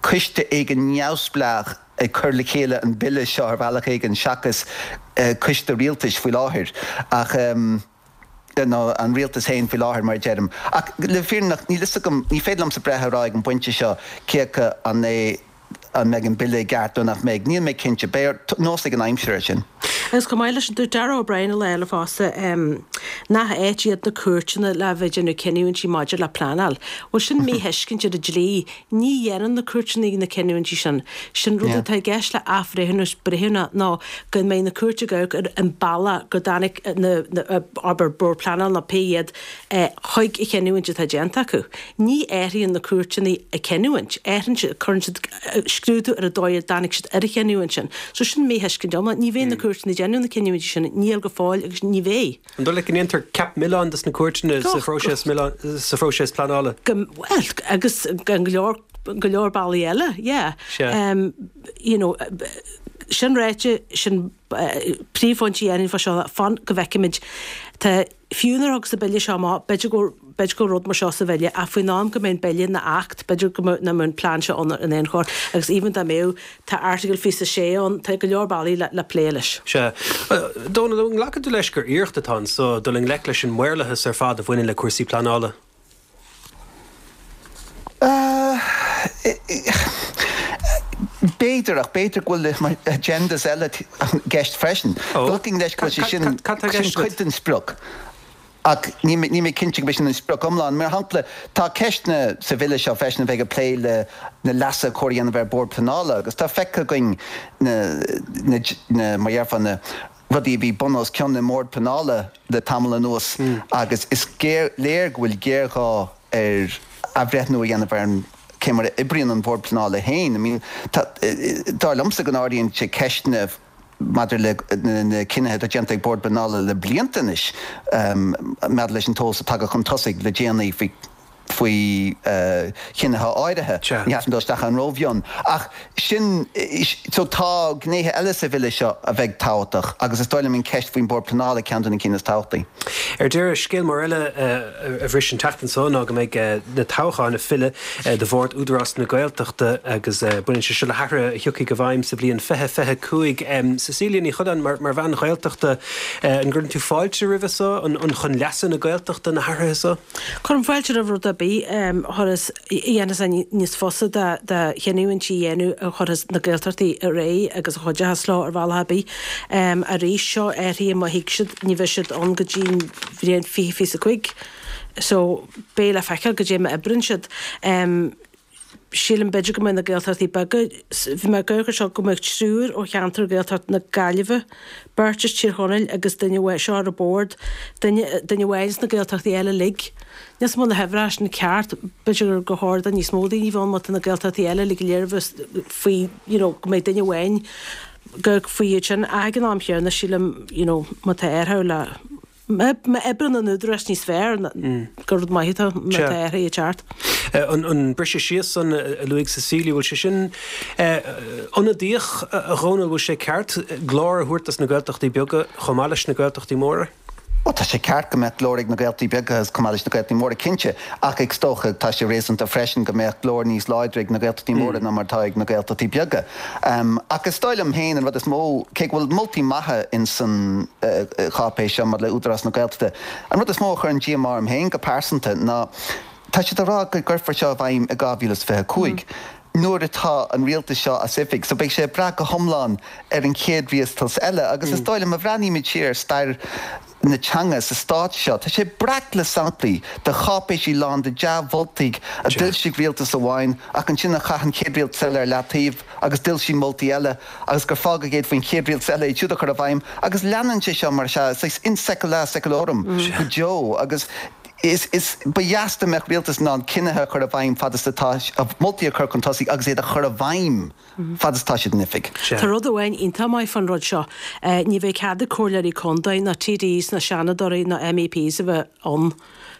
coiste éigin neamhspleách ag cur le chéile an bille seo ar bhealach éigin seachas coiste rialtais faoi láthair ach nó an rialtas féin faoi láthair mar a deirim. Ach le fírinne níl fhios agam, ní féidir liomsa breith a rá ag an bpointe seo cé acu an é an mbeidh an bille i gceart nó nach mbeidh. Níl mé cinnte. Beidh nós ag an aimsir air sin. Agus chomh maith leis sin, dúirt Darragh O'Brien lá eile fosta nach áit iad na cúirteanna le bheith ag déanamh cinniúintí maidir le pleanáil. Bhuel sin míthuiscint ar an dlí. Ní dhéanann na cúirteanna na cinniúintí sin. Sin rud atá i gceist le athbhreithniú breithiúnach ná go mbeidh na cúirt ag amharc ar an bealach go dtáinig na, abair, Bord Pleanála nó pé iad chuig an chinniúint atá déanta acu. Ní athraíonn na cúirteanna a gcinniúint. Athraíonn siad, cuireann siad scrúdú ar an dóigh a dtáinig siad ar an chinniúint sin. So sin míthuiscint iomlán. Ní bheidh na cúirteanna ag déanamh na cinniúintí sin, níl go fóill agus ní bheidh. An dóigh leat go ndéantar ceap milleáin dos na cúirteanna sa phróiseas sa phróiseas pleanála? Go, bhuel, agus go leor, go leor bealaí eile, yeah. Sea. You know, sin ráite, sin príomhphointe a dhéanfainn fá seo, fan go bhfeicfimid. Tá, fiú nuair a thiocfas an bille seo amach, b'fhéidir go, b'fhéidir go bhfuil rud mar seo sa bhille, ach faoin am go mbeidh an bille ina acht, b'fhéidir go mbeadh, nach mbeadh an plean seo ann in aon chor, agus even dá mbeadh, Tá Airteagal 26 ann, tá go leor bealaí le plé leis. Sea. Dónal, an nglacann tú leis gur iarracht atá anso dul i ngleic leis an maorlathas ar fad a bhaineann le cúrsaí pleanála? B'fhéidir, ach b'fhéidir go bhfuil agendas eile i gceist freisin. Glacfainn leis go bhfuil sé sin cuid den sprioc. Ach níl mé cinnte go b'é sin an sprioc iomlán. Mar shampla, tá ceisteanna sa bhille seo freisin a bheidh ag plé le na leasuithe cóir a dhéanamh ar Bhord Pleanála agus tá feicthe againn na, na, mar dhéarfá, na rudaí a bhí bun os cionn i mBord Pleanála le tamall anuas agus is géar, léir go bhfuil géarghá ar athbhreithniú a dhéanamh ar an cé mar a oibríonn an Bord Pleanála féin. I mean, tá, dar liomsa go n-ardaíonn sé ceisteanna maidir le na cinnithe atá déanta ag Bord Pleanála le blianta anois maidir leis an t-eolas atá tagtha chun tosaigh le déanaí faoi faoi chinnithe áirithe. Ní theastaíonn dul isteach ann rómhion. Ach sin, so tá gnéithe eile sa bhille seo a bheidh tábhachtach agus is dóigh liom an ceist faoin Bord Pleanála ceann de na cinn is tábhachtaí. Ar deireadh, scéal mór eile a bhris an tseachtain seo ná go mbeidh na toghcháin ag filleadh do Bhord Údarás na Gaeltachta agus baineann sé seo le hathruithe a thiocfaidh i bhfeidhm sa bhliain 2025. Cecilia Ní Choileáin, mar bhean Ghaeltachta, an gcuireann tú fáilte roimhe seo? An chun leasa na Gaeltachta na hathruithe seo? Cuirim fáilte roimh rud ar bith a chuirfeas, a dhéanfas é níos fusa do chinniúintí a dhéanamh a chuirfeas na Gaeltachtaí ar aghaidh agus a chuideochas leo ar bhealach ar bith. Arís, seo athruithe má thig siad, ní bheidh siad ann go dtí an bhliain 2025 so beidh le feiceáil goidé mar a oibreann siad. Sílim b'fhéidir go mbeidh na Gaeltachtaí beaga, bhí mé ag amharc ar seo, go mbeadh triúr ó cheantar Ghaeltacht na Gaillimhe, beirt as Tír Chonaill agus duine amháin, seo ar an bord, duine, duine amháin as na Gaeltachtaí eile uilig. Níl 's agam an bhfuil na huimhreacha sin ceart, b'fhéidir gur chóir do níos mó daoine a bheith ann má tá na Gaeltachtaí eile uilig go léir a bheith faoi, you know, go mbeidh duine amháin go faoi iad sin. Ach ag an am chéanna sílim, you know, má tá athrú le. Má oibreann an Údarás níos fearr, gur rud maith atá má tá athruithe ag teacht. An briseadh síos san a luaigh Cecilia, bhfuil sé sin ionadaíoch, a Dhónaill, bhfuil sé ceart glór a thabhairt dos na Gaeltachtaí beaga chomh maith leis na Gaeltachtaí móra? Bhuel, tá sé ceart go mbeadh glór ag na Gaeltachtaí beaga chomh maith leis na Gaeltachtaí móra, cinnte, ach is dócha tá sé réasúnta freisin go mbeadh glór níos láidre ag na Gaeltachtaí móra ná mar atá ag na Gaeltachtaí beaga. Ach is dóigh liom féin an rud is mó, cé go bhfuil moltaí maithe in san cháipéis seo maidir le Údarás na Gaeltachta, an rud is mó a chuireann díomá orm féin go pearsanta ná tá siad ag rá go gcuirfear seo i bhfeidhm i 2025, nuair atá an rialtas seo as oifig. So beidh sé ag brath go hiomlán ar an chéad rialtas eile agus is dóigh liom, má bhreathnaímid siar ar stair na teanga sa stát seo. Tá sé breac le samplaí de cháipéisí lán de dea-mholtaí a d'fhoilsigh rialtas amháin ach ansin a chaith an chéad rialtas eile ar leataobh agus d'fhoilsigh moltaí eile agus gur fágadh iad faoin chéad rialtas eile iad siúd a chur i bhfeidhm agus leanann sé seo mar sea, saghas in saecula saeculorum go deo agus is, is, ba dheas dá mbeadh rialtas in ann cinnithe a chur i bhfeidhm fad is atá, moltaí a chur chun tosaigh agus iad a chur i bhfeidhm. fad is atá siad in oifig. Tá rud amháin iontach maith fán rud seo, ní bheidh cead ag comhairleoirí contae ná TDs ná seanadóirí ná MEPs a bheith ann.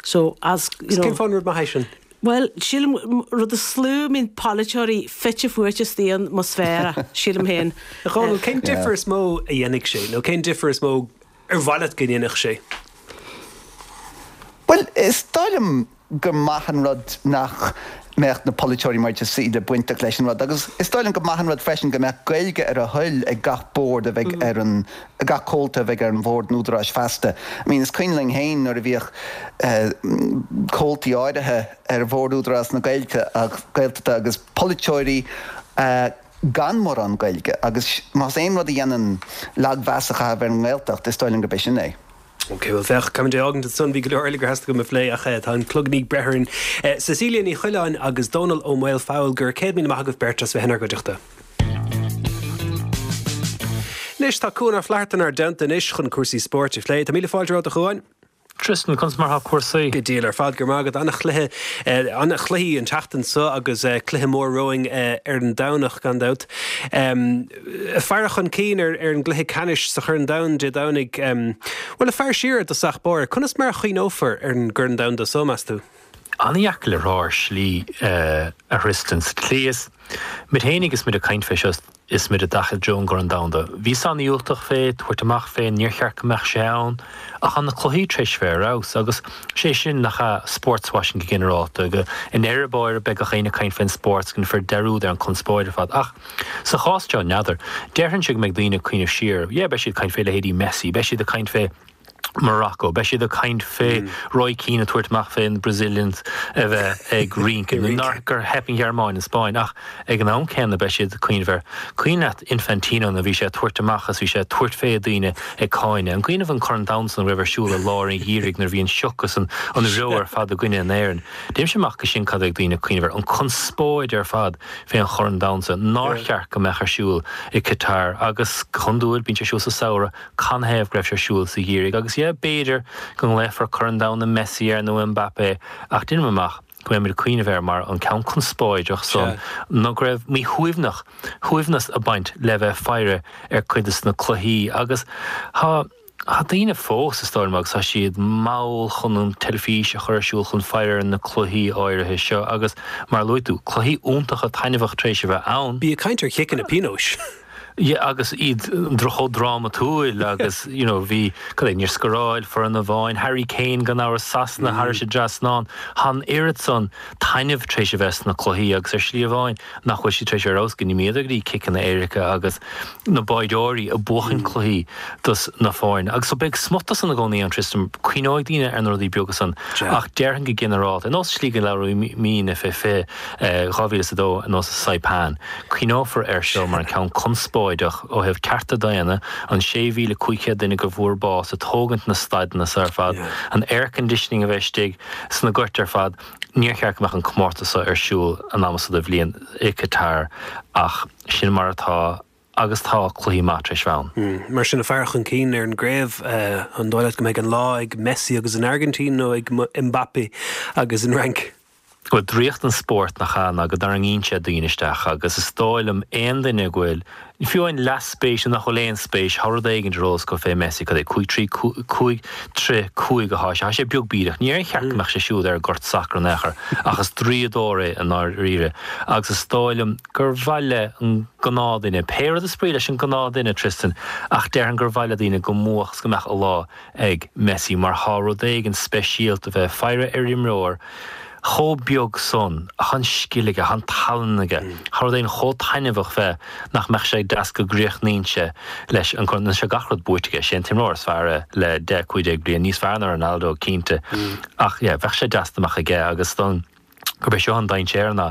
So, as, you know. Cén fáth an rud maith é sin? Bhuel, sílim, rud is lú a mbíonn polaiteoirí fite fuaite istigh ann más fearr é, sílim féin. A Dhónaill, cén difear is mó a dhéanfaidh sé, nó cén difear is mó ar mhaith leat go ndéanfadh sé? Bhuel, is dóigh liom gur maith an rud nach mbeadh na polaiteoirí mar a deir Cecilia bainteach leis an rud agus is dóigh liom gur maith an rud freisin go mbeadh Gaeilge ar a thoil ag gach bord a bheidh ar an, gach comhalta a bheidh ar an bhord an Údaráis feasta. I mean is cuimhin linn féin nuair a bhíodh comhaltaí áirithe ar bhord Údarás na Gaeilge, Gaeltachta agus polaiteoirí gan mórán Gaeilge agus más aon rud a dhéanann lagmheas a chaitheamh ar an nGaeltacht is dóigh liom gurb é sin é. Ok, bhuel féach, caithfimid é a fhágaint ansan, bhí go leor eile gur theastaigh uaim a phlé ach tá an cloig i ndiaidh breith orainn. Cecilia Ní Choileáin agus Dónall Ó Maolfabhail, go raibh 100,000 maith agaibh beirt as bheith inár gcuideachta. Anois tá Cuan Ó Flatharta inár dteannta anois chun cúrsaí spóirt a phlé. Tá míle fáilte romhat a Chuain. Tristan, conas mar atá cúrsaí? Go diail ar fad, go raibh maith agat. An-chluiche, an-chluichí an tseachtain seo agus cluiche mór romhainn ar an Domhnach gan dabht. Faire chun cinn ar an gcluiche ceannais sa Chorn Domhanda Dé Domhnaigh. Bhuel, ag faire siar i dtosach báire, conas mar a chuimhneofar ar an gCorn Domhanda so, meas tú? An-dheacair le rá ar shlí, a Thristan. Sa tslí is muid féinig is muid ag caint fé seo is muid ag dul i dtreo an gCorn Domhanda. Bhíos an-dhiúltach fé, tabhairt amach fé, níor cheart go mbeadh sé ann. Ach tá na cluichí tar éis bheith ar fheabhas agus sé sin nach ea sportswashing go ginearálta. Go i ndeireadh báire beidh gach éinne ag caint fén spórt 's déanfar dearúd ar an conspóid ar fad. Ach Sa chás seo, n'fheadar. Déarfainnse go mbeidh daoine ag cuimhneamh siar, yeah, beidh siad ag caint fé leithéidí Messi, beidh siad ag caint fé Morocco, beidh siad ag caint fé Roy Keane ag tabhairt amach fé na Brazilians a bheith ag rince, nó nár, gur theip an Ghearmáin, an Spáinn, ach ag an am céanna beidh siad ag cuimhneamh ar, cuimhin leat Infantino nuair a bhí sé ag tabhairt amach is bhí sé ag tabhairt fé daoine ag cáineadh. An cuimhin libh an Corn Domhanda san a raibh ar siúl i lár an gheimhridh nuair a bhí an sioc is an an reo ar fad i gcoinne na hÉireann. Deirimse amach go sin cad a bheidh daoine ag cuimhneamh air, an conspóid ar fad. fén Chorn Domhanda san nár cheart go mbeadh ar siúl i Qatar agus go hiondúil bíonn sé ar siúl sa samhradh, canathaobh go raibh sé ar siúl sa gheimhreadh agus yeah b'fhéidir go nglaofar Corn Domhanda Messi air nó Mbappé ach deirim amach go mbeidh muid ag cuimhneamh air mar an ceann conspóideach san nó go raibh míshuaimhneach, shuaimhneas ag baint le bheith ag faire ar cuid de na cluichí agus tá. Tá daoine fós, is dóigh liom, agus tá siad mall chun an teilifís a chur ar siúl chun faire ar na cluichí áirithe seo agus, mar a luaigh tú, cluichí iontacha taitneamhach tar éis a bheith ann. Bí ag caint ar chiceanna pionóis. Yeah, agus iad chomh drámatúil agus, you know, bhí, cad é, níor scóráil foireann amháin, Harry Kane gan amhras, Sasana thairis an dtrasnán, tá an oiread san taitneamh tar éis a bheith sna cluichí agus ar shlí amháin nach bhfuil siad tar éis a bheith ar fheabhas go n-imíodar go dtí ciceanna éirice agus na báireoirí ag buachan cluichí dos na foirne. Agus so beidh smut de san i gcónaí ann, Tristan, cuimhneoidh daoine ar na rudaí beaga san ach déarfainn go ginearálta, ar nós slí go labhraímidne fé 2002 ar nós Saipan, Cuimhneofar air seo mar an ceann conspóideach ó thaobh cearta daonna, an 6,500 duine go bhfuair bás ag tógaint na staideanna so ar fad, an air conditioning a bheith istigh sna goirt ar fad. Níor cheart go mbeadh an comórtas so ar siúl an am so de bhliain i Qatar ach sin mar atá agus tá cluichí maith tar éis bheith ann. Mar sin, ag faire chun cinn ar an gcraobh, an dóigh leat go mbeidh an lá ag Messi agus an Airgintín nó ag Mbappe agus an Fhrainc? Bhuel, draíocht an spóirt nach ea ná go dtarraingíonn sé daoine isteach agus is dóigh liom aon duine go bhfuil, fiú amháin leathspéis nó nach bhfuil aon spéis, tá rud éigin ar eolas acu fé Messi, cad é, 5 3 5 3 5 atá sé, tá sé beag bídeach, níor cheart go mbeadh sé siúd ar an gcort sacair in aon chor ach is draíodóir é i ndáiríre agus is dóigh liom gur mhaith le an gnáthdhuine, pé rud is brí leis an gnáthdhuine, Tristan, ach déarfainn gur mhaith le daoine go mbuafadh is go mbeadh a lá ag Messi mar tá rud éigin speisialta bheith ag faire ar imreoir chomh beag san, tá an scil aige, tá an tallann aige, tá rud éigin chomh taitneamhach fé nach mbeadh sé deas go gcríochnaíonn sé leis an gcorn, anois tá gach rud buaite aige, sé an t-imreoir is fearr é le 10, 15 bliain, níos fearr ná Ronaldo cinnte, ach yeah, bheadh sé deas dá mbeadh aige agus don. gurb é seo an dainséar ná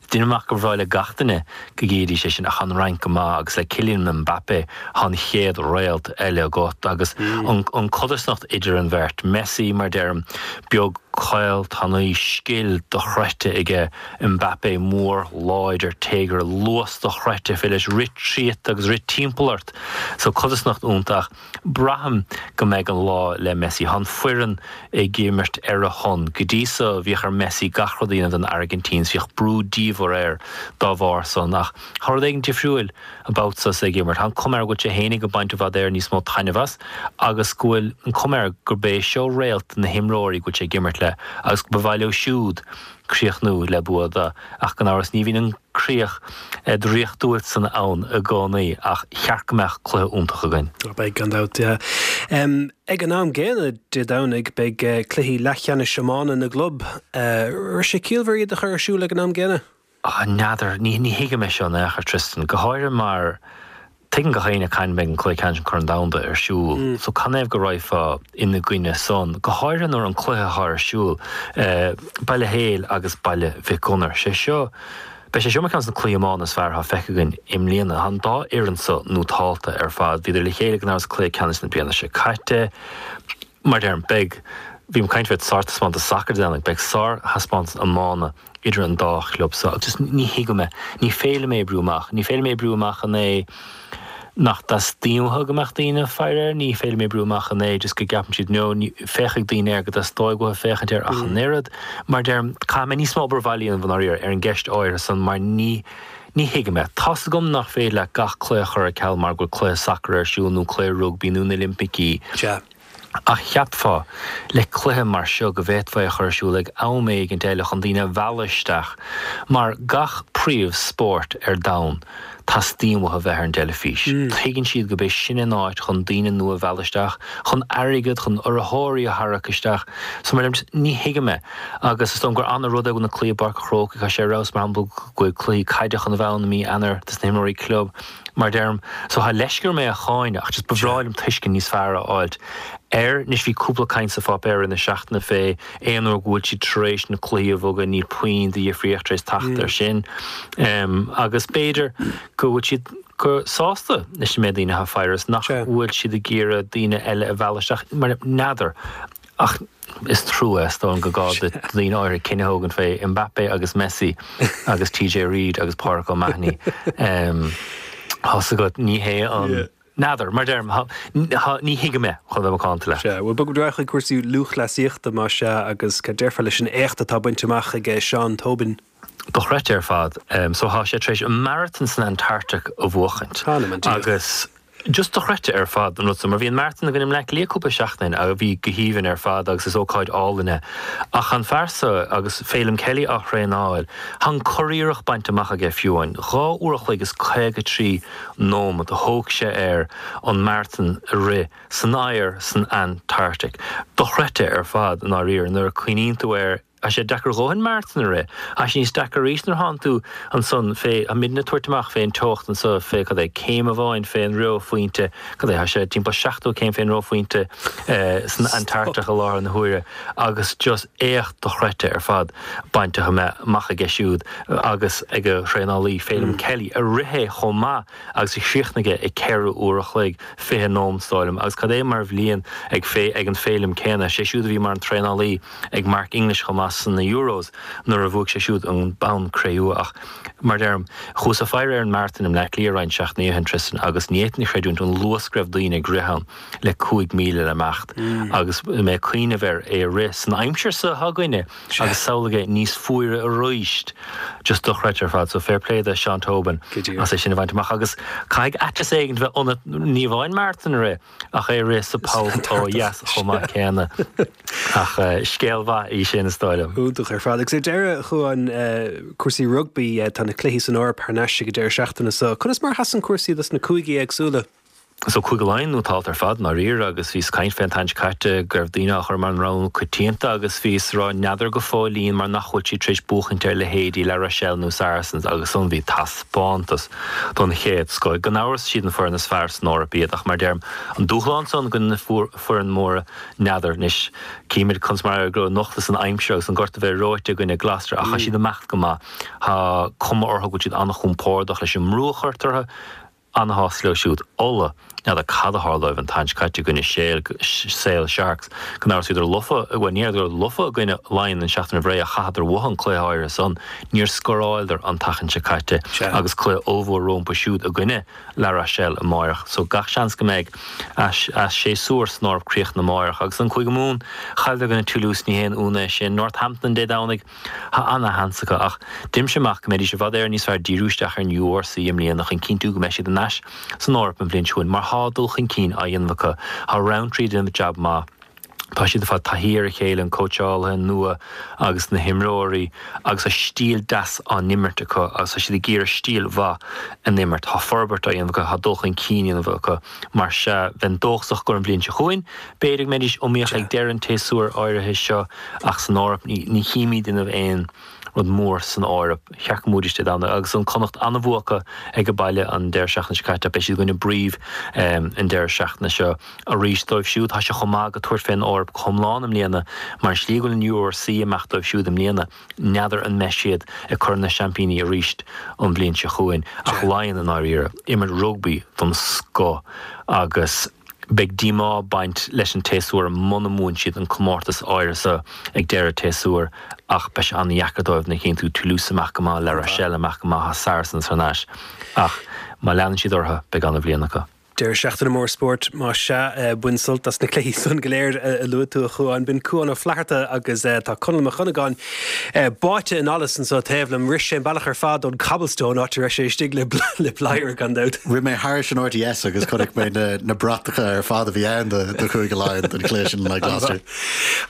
déanaim amach gur bhreá le gach duine go gcífidís é sin ach tá an Fhrainc go maith agus le Kylian Mbappe tá an chéad réalt eile agat agus an codarsnacht idir an bheirt, Messi mar deirim, beag caol tanaí, scil dochreidte aige, Mbappe mór láidir téagartha, luas dochreidte, féidir leis rith tríot agus rith timpeall ort so codarsnacht iontach. Braithim go mbeidh an lá le Messi. Tá an foireann ag imirt ar a shon. Go dtí so, bhíodh ar Messi gach rud a dhéanamh don Airgintín is bhíodh brú diamhair air dá bharr san. Ach tá rud éigin difriúil about so is é ag imirt. Tá an cuma air go bhfuil sé fhéinig ag baint i bhfad Éireann níos mó taitneamh as agus go bhfuil an cuma air gurb é seo réalt na himreoirí go bhfuil sé ag imirt le agus go ba mhaith leo siúd críochnú le bua do. Ach gan amhras ní bhíonn an críoch draíochtúil san ann i gcónaí ach cheart go mbeadh cluiche iontach againn. Beidh, gan dabht. Ag an am gcéanna Dé Domhnaigh beidh cluichí leathcheannais iomána na gclub. Raibh sé ciallmhar iad a chur ar siúl ag an am gcéanna? N'fheadar, ní thuigim é seo in aon chor, Tristan, go háirithe mar Tuigeann gach éinne cathain a mbeidh an cluiche ceannais an Corn Domhanda ar siúl so canathaobh go raghfá ina gcoinne san, go háirithe nuair an cluiche atá ar siúl, Baile Héil agus Baile Mhic Gonair. Sé seo, beidh sé seo mar cheann de na cluichí iomána is fearr atá feicthe againn i mbliana. Tá an dá fhoireann so nótálta ar fad. Bhíodar le chéile gan amhras sa cluiche ceannais na bliana seo caite. Mar a deirim, beidh, bhím ag caint fé sárthaispeántas sacair Dé Domhnaigh, beidh sárthaispeántas iomána idir an dá chlub so agus just ní thuigim é. Ní féidir liom é a oibriú amach. Ní féidir liom é a oibriú amach an é nach dteastaíonn uathu go mbeadh daoine ag faire air, ní féidir liom é a oibriú amach an é just go gceapann siad no, ní, féachfaidh daoine air go dteastóidh uathu féachaint air ach an oiread. Mar a deirim, caithfidh mé níos mó obair bhaile a dhéanamh i ndáiríre ar an gceist áirithe san mar ní, ní thuigim é. Tá's agam nach féidir leat gach cluiche a chur ar ceal mar go bhfuil cluiche sacair ar siúl nó cluiche rugbaí nó na Oilimpicí. Sea. Ach cheapfá, le cluiche mar seo, go bhféadfá é a chur ar siúl ag am éigint eile chun daoine a mhealladh isteach, mar gach príomh spórt ar domhan, teastaíonn uathu bheith ar an dteilifís. Tuigeann siad gurb é sin an áit chun daoine nua a mhealladh isteach, chun airgead, chun urraitheoirí a tharrac isteach. So mar a deirim, ní thuigim é. Agus is dóigh liom gur ana-rud é go bhfuil na cluichí i bPáirc an Chrócaigh, tá sé ar fheabhas, mar shampla, go bhfuil cluichí caide chun a bheith ann i mí Eanáir dos na himreoirí club. Mar a deirim, so tá leisce orm é a cháineadh ach just ba bhreá liom tuiscint níos fearr a fháilt air. Anois bhí cúpla caint sa pháipéar i rith na seachtaine fé aon uair go bhfuil siad tar éis na cluichí a bhogadh níl puinn de dhifríocht tar éis teacht air sin. Agus b'fhéidir go bhfuil siad go sásta leis an méid daoine atá ag faire is nach bhfuil siad ag iarraidh daoine eile a mhealladh isteach mar n'fheadar. Ach is trua é, is dóigh liom, gur gá do dhaoine áirithe cinneadh a thógaint fé Mbappe agus Messi agus TJ Reid agus Pádraig O'Mahony. Tá's agat, ní hé an. N'fheadar, mar deirim, ní thuigim é, chun bheith macánta leat. Sea, bhuel, bogfaimid ar aghaidh chuig cúrsaí lúthchleasaíochta, más ea, agus cad déarfá leis an éacht atá bainte amach ag Seán Tobin? Dochreidte ar fad. So, tá sé tar éis an maratón san Antartaic a bhuachaint. Anam an Dia. Agus. Just dochreidte ar fad an rud so, mar bhí an maratón againn i mBleá Cliath cúpla seachtain ó shin a bhí go haoibhinn ar fad agus is ócáid álainn é. Ach an fear so, agus Feidhlim Kelly á thraenáil, tá an curiarracht bainte amach aige fiú amháin. 2 uair a chloig is 53 nóimeat a thóg sé air an maratón a rith san oighear san Antarctic. Dochreidte ar fad i ndáiríre nuair a cuimhníonn tú air. Tá sé deacair a dhóthain maratón a rith. Tá sé níos deacra arís nuair thánn tú ansan fé, tá muidne ag tabhairt amach fé an teocht anso fé, cad é, céim amháin fé an reophointe, cad é, tá sé timpeall 70 céim fé an reophointe san Antartach i láthair na huaire agus just éacht dochreidte ar fad bainte amach aige siúd agus ag a thraenálaí Feidhlim Kelly a rith é chomh maith agus a chríochnaigh é ag 4 uair a chloig 20 nóimeat is dóigh liom agus cad é mar bhliain ag ag an Feidhlim céanna, sé siúd a bhí mar an traenálaí ag Mark English chomh maith sna Euros nuair a bhuaigh sé siúd an bonn cré-umha ach, mar a deirim, chuas ag faire ar an maratón i mBleá Cliath roinnt seachtainí ó shin, Tristan, agus ní fhéadfainn a chreidiúint an luas go raibh daoine ag rith ann le 5,000 le imeacht agus mé ag cuimhneamh air é a rith san aimsir seo againne agus samhlaigh é níos fuaire arís. Just dochreidte ar fad. So fair play do Seán Tobin as é sin a bhaint amach agus caithfidh aiteas éigin bheith ionat ní amháin maratón a rith, Ach é a rith sa pholl ó dheas chomh maith céanna. Ach scéal mhaith í sin, is dóigh liom. Iontach ar fad. Agus ar deireadh, a Chuáin, cúrsaí rugbaí, tá na cluichí san Eoraip thar n-ais ag an deireadh seachtaine seo. Conas mar a sheasann cúrsaí dos na cúigí éagsúla? So Cúige Laighean nótálta ar fad, i ndáiríre, agus bhíos ag caint fé an tseachtain seo caite go raibh daoine á chur mar an rogha coitianta agus bhíos ag rá n'fheadar go fóillín mar nach bhfuil siad tar éis buachaint ar leithéidí La Rochelle nó Saracens agus ansan bhí taispeántas don chéad scoth. Gan amhras, siad an foireann is fearr san Eoraip iad ach mar a deirim, an dúshlán san i gcoinne na foireann móra, n'fheadar. Anois, címid conas mar a éireoidh anocht leis an aimsir agus an gort a bheith reoite i gcoinne Gloucester ach tá siad ag imeacht go maith. Tá cuma orthu go bhfuil siad an-chompordach leis an mbrú a chuirtear orthu. Ana-shásta leo siúd. Ulaidh, n'fheadar cad a tharla dóibh an tseachtain seo caite i gcoinne Sale Sharks. Gan amhras bhíodar lofa, bhuel ní rabhadar lofa i gcoinne Laighean an seachtain roimh ré ach chaitheadar uathu an cluiche áirithe san. Níor scóráileadar an tseachtain seo caite agus cluiche ollmhór rómpa siúd i gcoinne La Rochelle amáireach. So gach seans go mbeidh a séasúr san Eoraip críochnaithe amáireach. Agus an Cúige Mumhan, chailleadar i gcoinne Toulouse, ní haon ionadh é sin. Northampton Dé Domhnaigh. Tá ana-sheans acu ach deirimse amach go mbeidís i bhfad Éireann níos fearr díriú isteach ar an URC i mbliana chun cinntiú go mbeidh siad in ais san Eoraip an bhliain seo chugainn mar thá dul chun cinn á dhéanamh acu. Thá Rowntree ag déanamh jab maith. Tá siad ag fáil taithí ar a chéile, an cóitseálaithe nua agus na himreoirí agus tá stíl deas á n-imirt acu agus tá siad ag iarraidh stíl mhaith a n-imirt. Tá forbairt á dhéanamh acu, tá dul chun cinn á dhéanamh acu. Mar sea, bheinn dóchasach gur an bhliain seo chugainn, b'fhéidir go mbeidís iomaíoch ag deireadh an tséasúir áirithe seo ach san Eoraip, ní chímid ag déanamh aon rud mór san Eoraip. Cheart go mbuafaidís Dé Domhnaigh agus an Connacht an-bhua acu ag an baile an deireadh seachtaine seo caite ach beidh siad i gcoinne Brive an deireadh seachtaine seo arís dóibh siúd. Tá sé chomh maith acu tabhairt fén Eoraip go hiomlán i mbliana mar an slí go bhfuil an URC ag imeacht dóibh siúd i mbliana. N'fheadar an mbeidh siad ag Corn na Seaimpíní arís an bhliain seo chugainn ach Laighean i ndáiríre, imirt rugbaí den scoth agus beidh díomá ag baint leis an tséasúr muna mbuann siad an comórtas áirithe seo ag deireadh an tséasúir ach beidh sé an-dheacair dóibh nuair a chíonn tú Toulouse ag imeacht go maith, La Rochelle ag imeacht go maith, Saracens thar n-ais ach má leanann siad orthu beidh an-bhliain acu. Deireadh seachtaine mór spóirt, más ea. Bain sult as na cluichí san go léir a luaigh tú, a Chuáin. B'in Cuán Ó Flatharta agus tá Conall Mac Dhonnagáin báite in allas anso taobh liom. Rith sé an bealach ar fad ón Cobblestone, áit a raibh sé istigh le bladhaire, gan dabht. Rith mé thairis an RTS agus chonaic mé na bratacha ar fad a bhí ann do Chúige Laighean don chluiche sin in aghaidh Gloucester.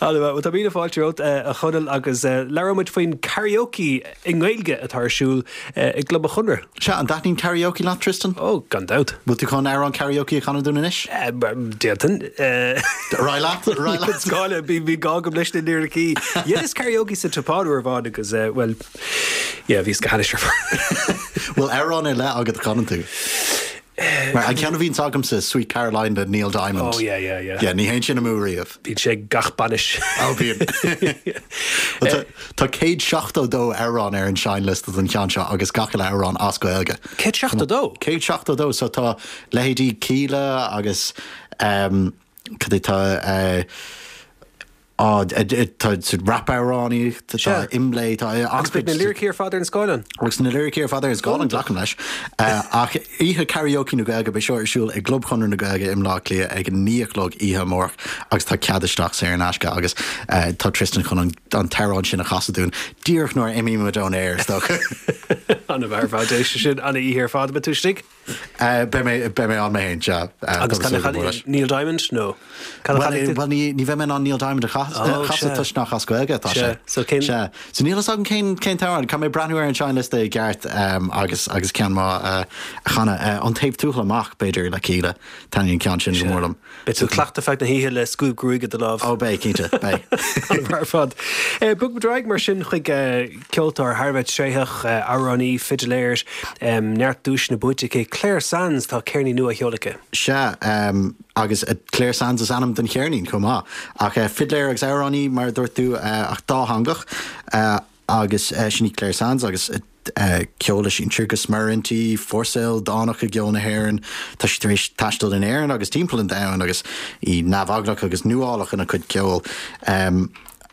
An-mhaith. Bhuel, tá míle fáilte romhat, a Chonaill, agus labhróidh muid faoin karaoke i nGaeilge atá ar siúl i gClub an Chonradh. Sea, an dtaitníonn karaoke leat, Tristan? Ó, gan dabht. Bhfuil tú chun amhrán karaoke a chanadh dúinn anois? D'fhéadfainn. Ar aghaidh leat, ar aghaidh leat. Gá le, bhí gá agam leis na liricí. Dheineas karaoke sa tSeapáin uair amháin agus, bhuel, yeah, bhíos go hainnis ar fad. Bhfuil amhrán ar leith agat a chanann tú? Mar an ceann a bhíonns agamsa, Sweet Caroline le Neil Diamond. Oh yeah, yeah, yeah. Yeah, ní théann sin amú riamh. Bíonn sé ag gach bainis. Oh, bíonn. Well, tá 172 amhrán ar an seinnliosta don cheann seo agus gach uile amhrán as Gaeilge. 172? 172, so tá leithéidí Kíla agus um, cad é tá uh, Á, tá rap-amhránaíocht, tá IMLÉ, tá Agus beidh na liricí ar fad ar an scáileán. Agus na liricí ar fad ar an scáileán, glacaim leis. Ach oíche karaoke na Gaeilge, beidh seo ar siúl i gClub Chonradh na Gaeilge i mBleá Cliath ag a 9 a chlog oíche amárach agus tá cead isteach saor in aisce agus tá Tristan chun an t-amhrán sin a chasadh dúinn díreach nuair a imímid ón aer, is dócha. An-mhaith ar fad, éist sin, an-oíche ar fad, an mbeidh tú istigh? Beidh mé, beidh mé ann mé féin, sea. Agus cad a chaithfidh, Neil Diamond nó cad a chaithfidh tú? Bhuel, ní, ní bheidh mé in ann Neil Diamond a chasadh toisc nach as Gaeilge atá sé. So cén. Sea. So níl fhios agam cén, cén t-amhrán. Caithfidh mé breathnú ar an seinnliosta i gceart agus, agus ceann maith a chanadh. An Taobh Tuathail Amach, b'fhéidir, le Kíla. Taitníonn an ceann sin go mór liom. Beidh tú ag cleachtadh feadh na hoíche le scuab gruaige i do lámh. Ó beidh, cinnte, beidh. An-mhaith ar fad. Bogfaimid ar aghaidh mar sin chuig ceoltóir thar a bheith tréitheach, amhránaí, fidiléir, neart duaiseanna buaite aici, Clare Sands. Tá ceirnín nua á sheoladh aici. Sea, agus Clare Sands is ainm don cheirnín chomh maith. Ach fidléir agus amhránaí, mar a dúirt tú, ach dátheangach. Agus sin í Clare Sands agus ceol a sinsir go smior inti, fórsa ildánach i gceol na hÉireann. Tá sí tar éis taisteal in Éirinn agus timpeall an domhain agus í neamheaglach agus nuálach ina cuid ceoil.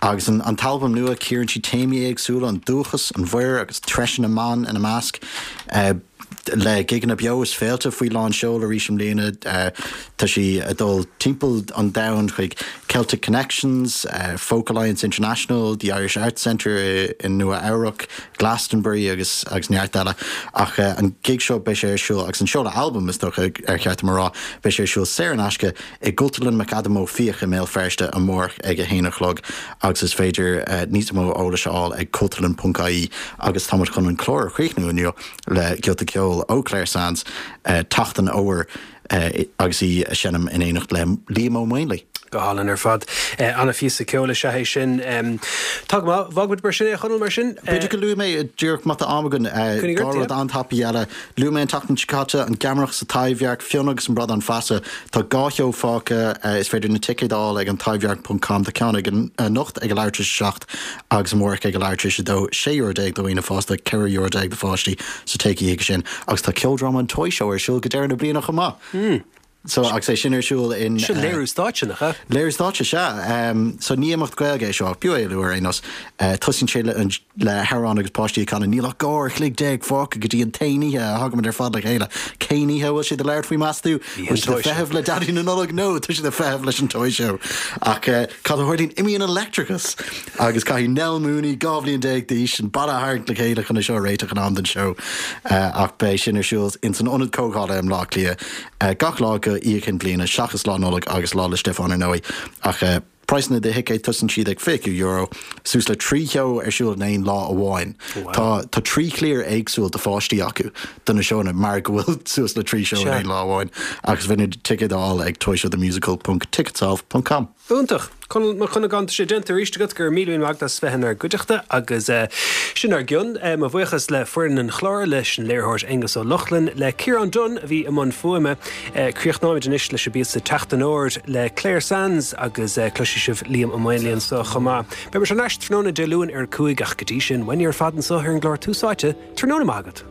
Agus an t-albam nua, cíorann sí téamaí éagsúla, an dúchas, an mhuir agus treise na mban ina measc. Le gigeanna beo is féilte faoi lán seoil arís i mbliana, tá sí ag dul timpeall an domhain chuig Celtic Connections, Folk Alliance International, The Irish Arts Centre i Nua Eabhrac, Glastonbury agus agus neart eile. Ach an gig seo, beidh sé ar siúl, agus an seoladh albaim is dócha ar cheart dom a rá, beidh sé ar siúl saor in aisce i gCultúrlann McAdam Ó Fiaich i mBéal Feirste amárach ag a haon a chlog agus is féidir níos mó eolais a fháil ag cultúrlann.ie agus táimid chun an clár a chríochnú inniu le giota ceoil ó Clare Sands, Teacht an Fhómhair agus í a seinm in éineacht le Liam Ó Maonlaí. Go hálainn ar fad. Ana-phíosa ceoil is ea é sin. Tá go maith. Fágfaimid mar sin é, a Chonaill, mar sin. B'fhéidir go luafaidh mé díreach má tá am againn, dhá rud an-tapaidh eile. Luaigh mé an tseachtain seo caite, an Gheamaireacht sa Taibhdhearc, Fionn agus an Bradán Feasa. Tá dhá sheó fágtha. Is féidir na ticéid a fháil ag an taibhdhearc ponc com. Tá ceann ag anocht ag a leathuair tar éis a 7 agus amárach ag a leathuair tar éis a 2, €16 do dhaoine fásta, €14 do pháistí, so téigí chuige sin. Agus tá ceoldráma an Toy Show ar siúl go deireadh na bliana chomh maith. So, agus é sin ar siúl in. Sin léiriú stáitse, nach ea? Léiriú stáitse, sea. So, ní imeacht Gaeilge é seo, ach b'fhiú é a lua ar aon nós. Tosaíonn sé le, le hamhrán agus páistí ag canadh 'Níl ach 12 uair an chloig fágtha go dtí an t-aon oíche a thagaimid ar fad le chéile'. Cén oíche a bhfuil siad ag labhairt faoi, meas tú? Bhfuil siad ag feitheamh le Daidí na Nollag? No, tá siad ag feitheamh leis an Toy Show. Ach cad a tharlaíonn? Imíonn an leictreachas! Agus caithfidh Nell Mooney, 12 bhliain d'aois, an baile a tharraingt le chéile chun é seo a réiteach in am don seó. Ach beidh sin ar siúl ins an Ionad Comhdhála i mBleá Cliath gach lá go Oíche Chinn Bliana, seachas Lá Nollag agus Lá 'le Stiofáin ar ndóigh. Ach praghsanna do thicéid, tosaíonn siad ag €25, suas le 3 sheó ar siúl in aon lá amháin. Tá tá 3 chliar éagsúil do pháistí acu do na seónna mar go bhfuil suas le 3 seó in aon lá amháin. Agus is féidir ticéid a fháil ag toyshowthemusical ponc ticketsolve ponc com. Iontach! Conall Mac Cuinneagáin, tá sé déanta arís agat, go raibh míle míle maith agat as bheith inár gcuideachta agus sin ár gcionn. Mo bhuíochas le foireann an chláir, leis an léiritheoir Aonghus Ó Lochlainn, le Ciarán Dunne a bhí i mbun fuaime. Críochnóimid anois leis an bpíosa Teacht an Fhómhair le Clare Sands agus cloisfidh sibh Liam Ó Maonlaí anseo chomh maith. Beidh muid thar n-ais tráthnóna Dé Luain ar a 5 ach go dtí sin, uainne ar fad anseo ar an gclár Tús Áite, tráthnóna maith agat!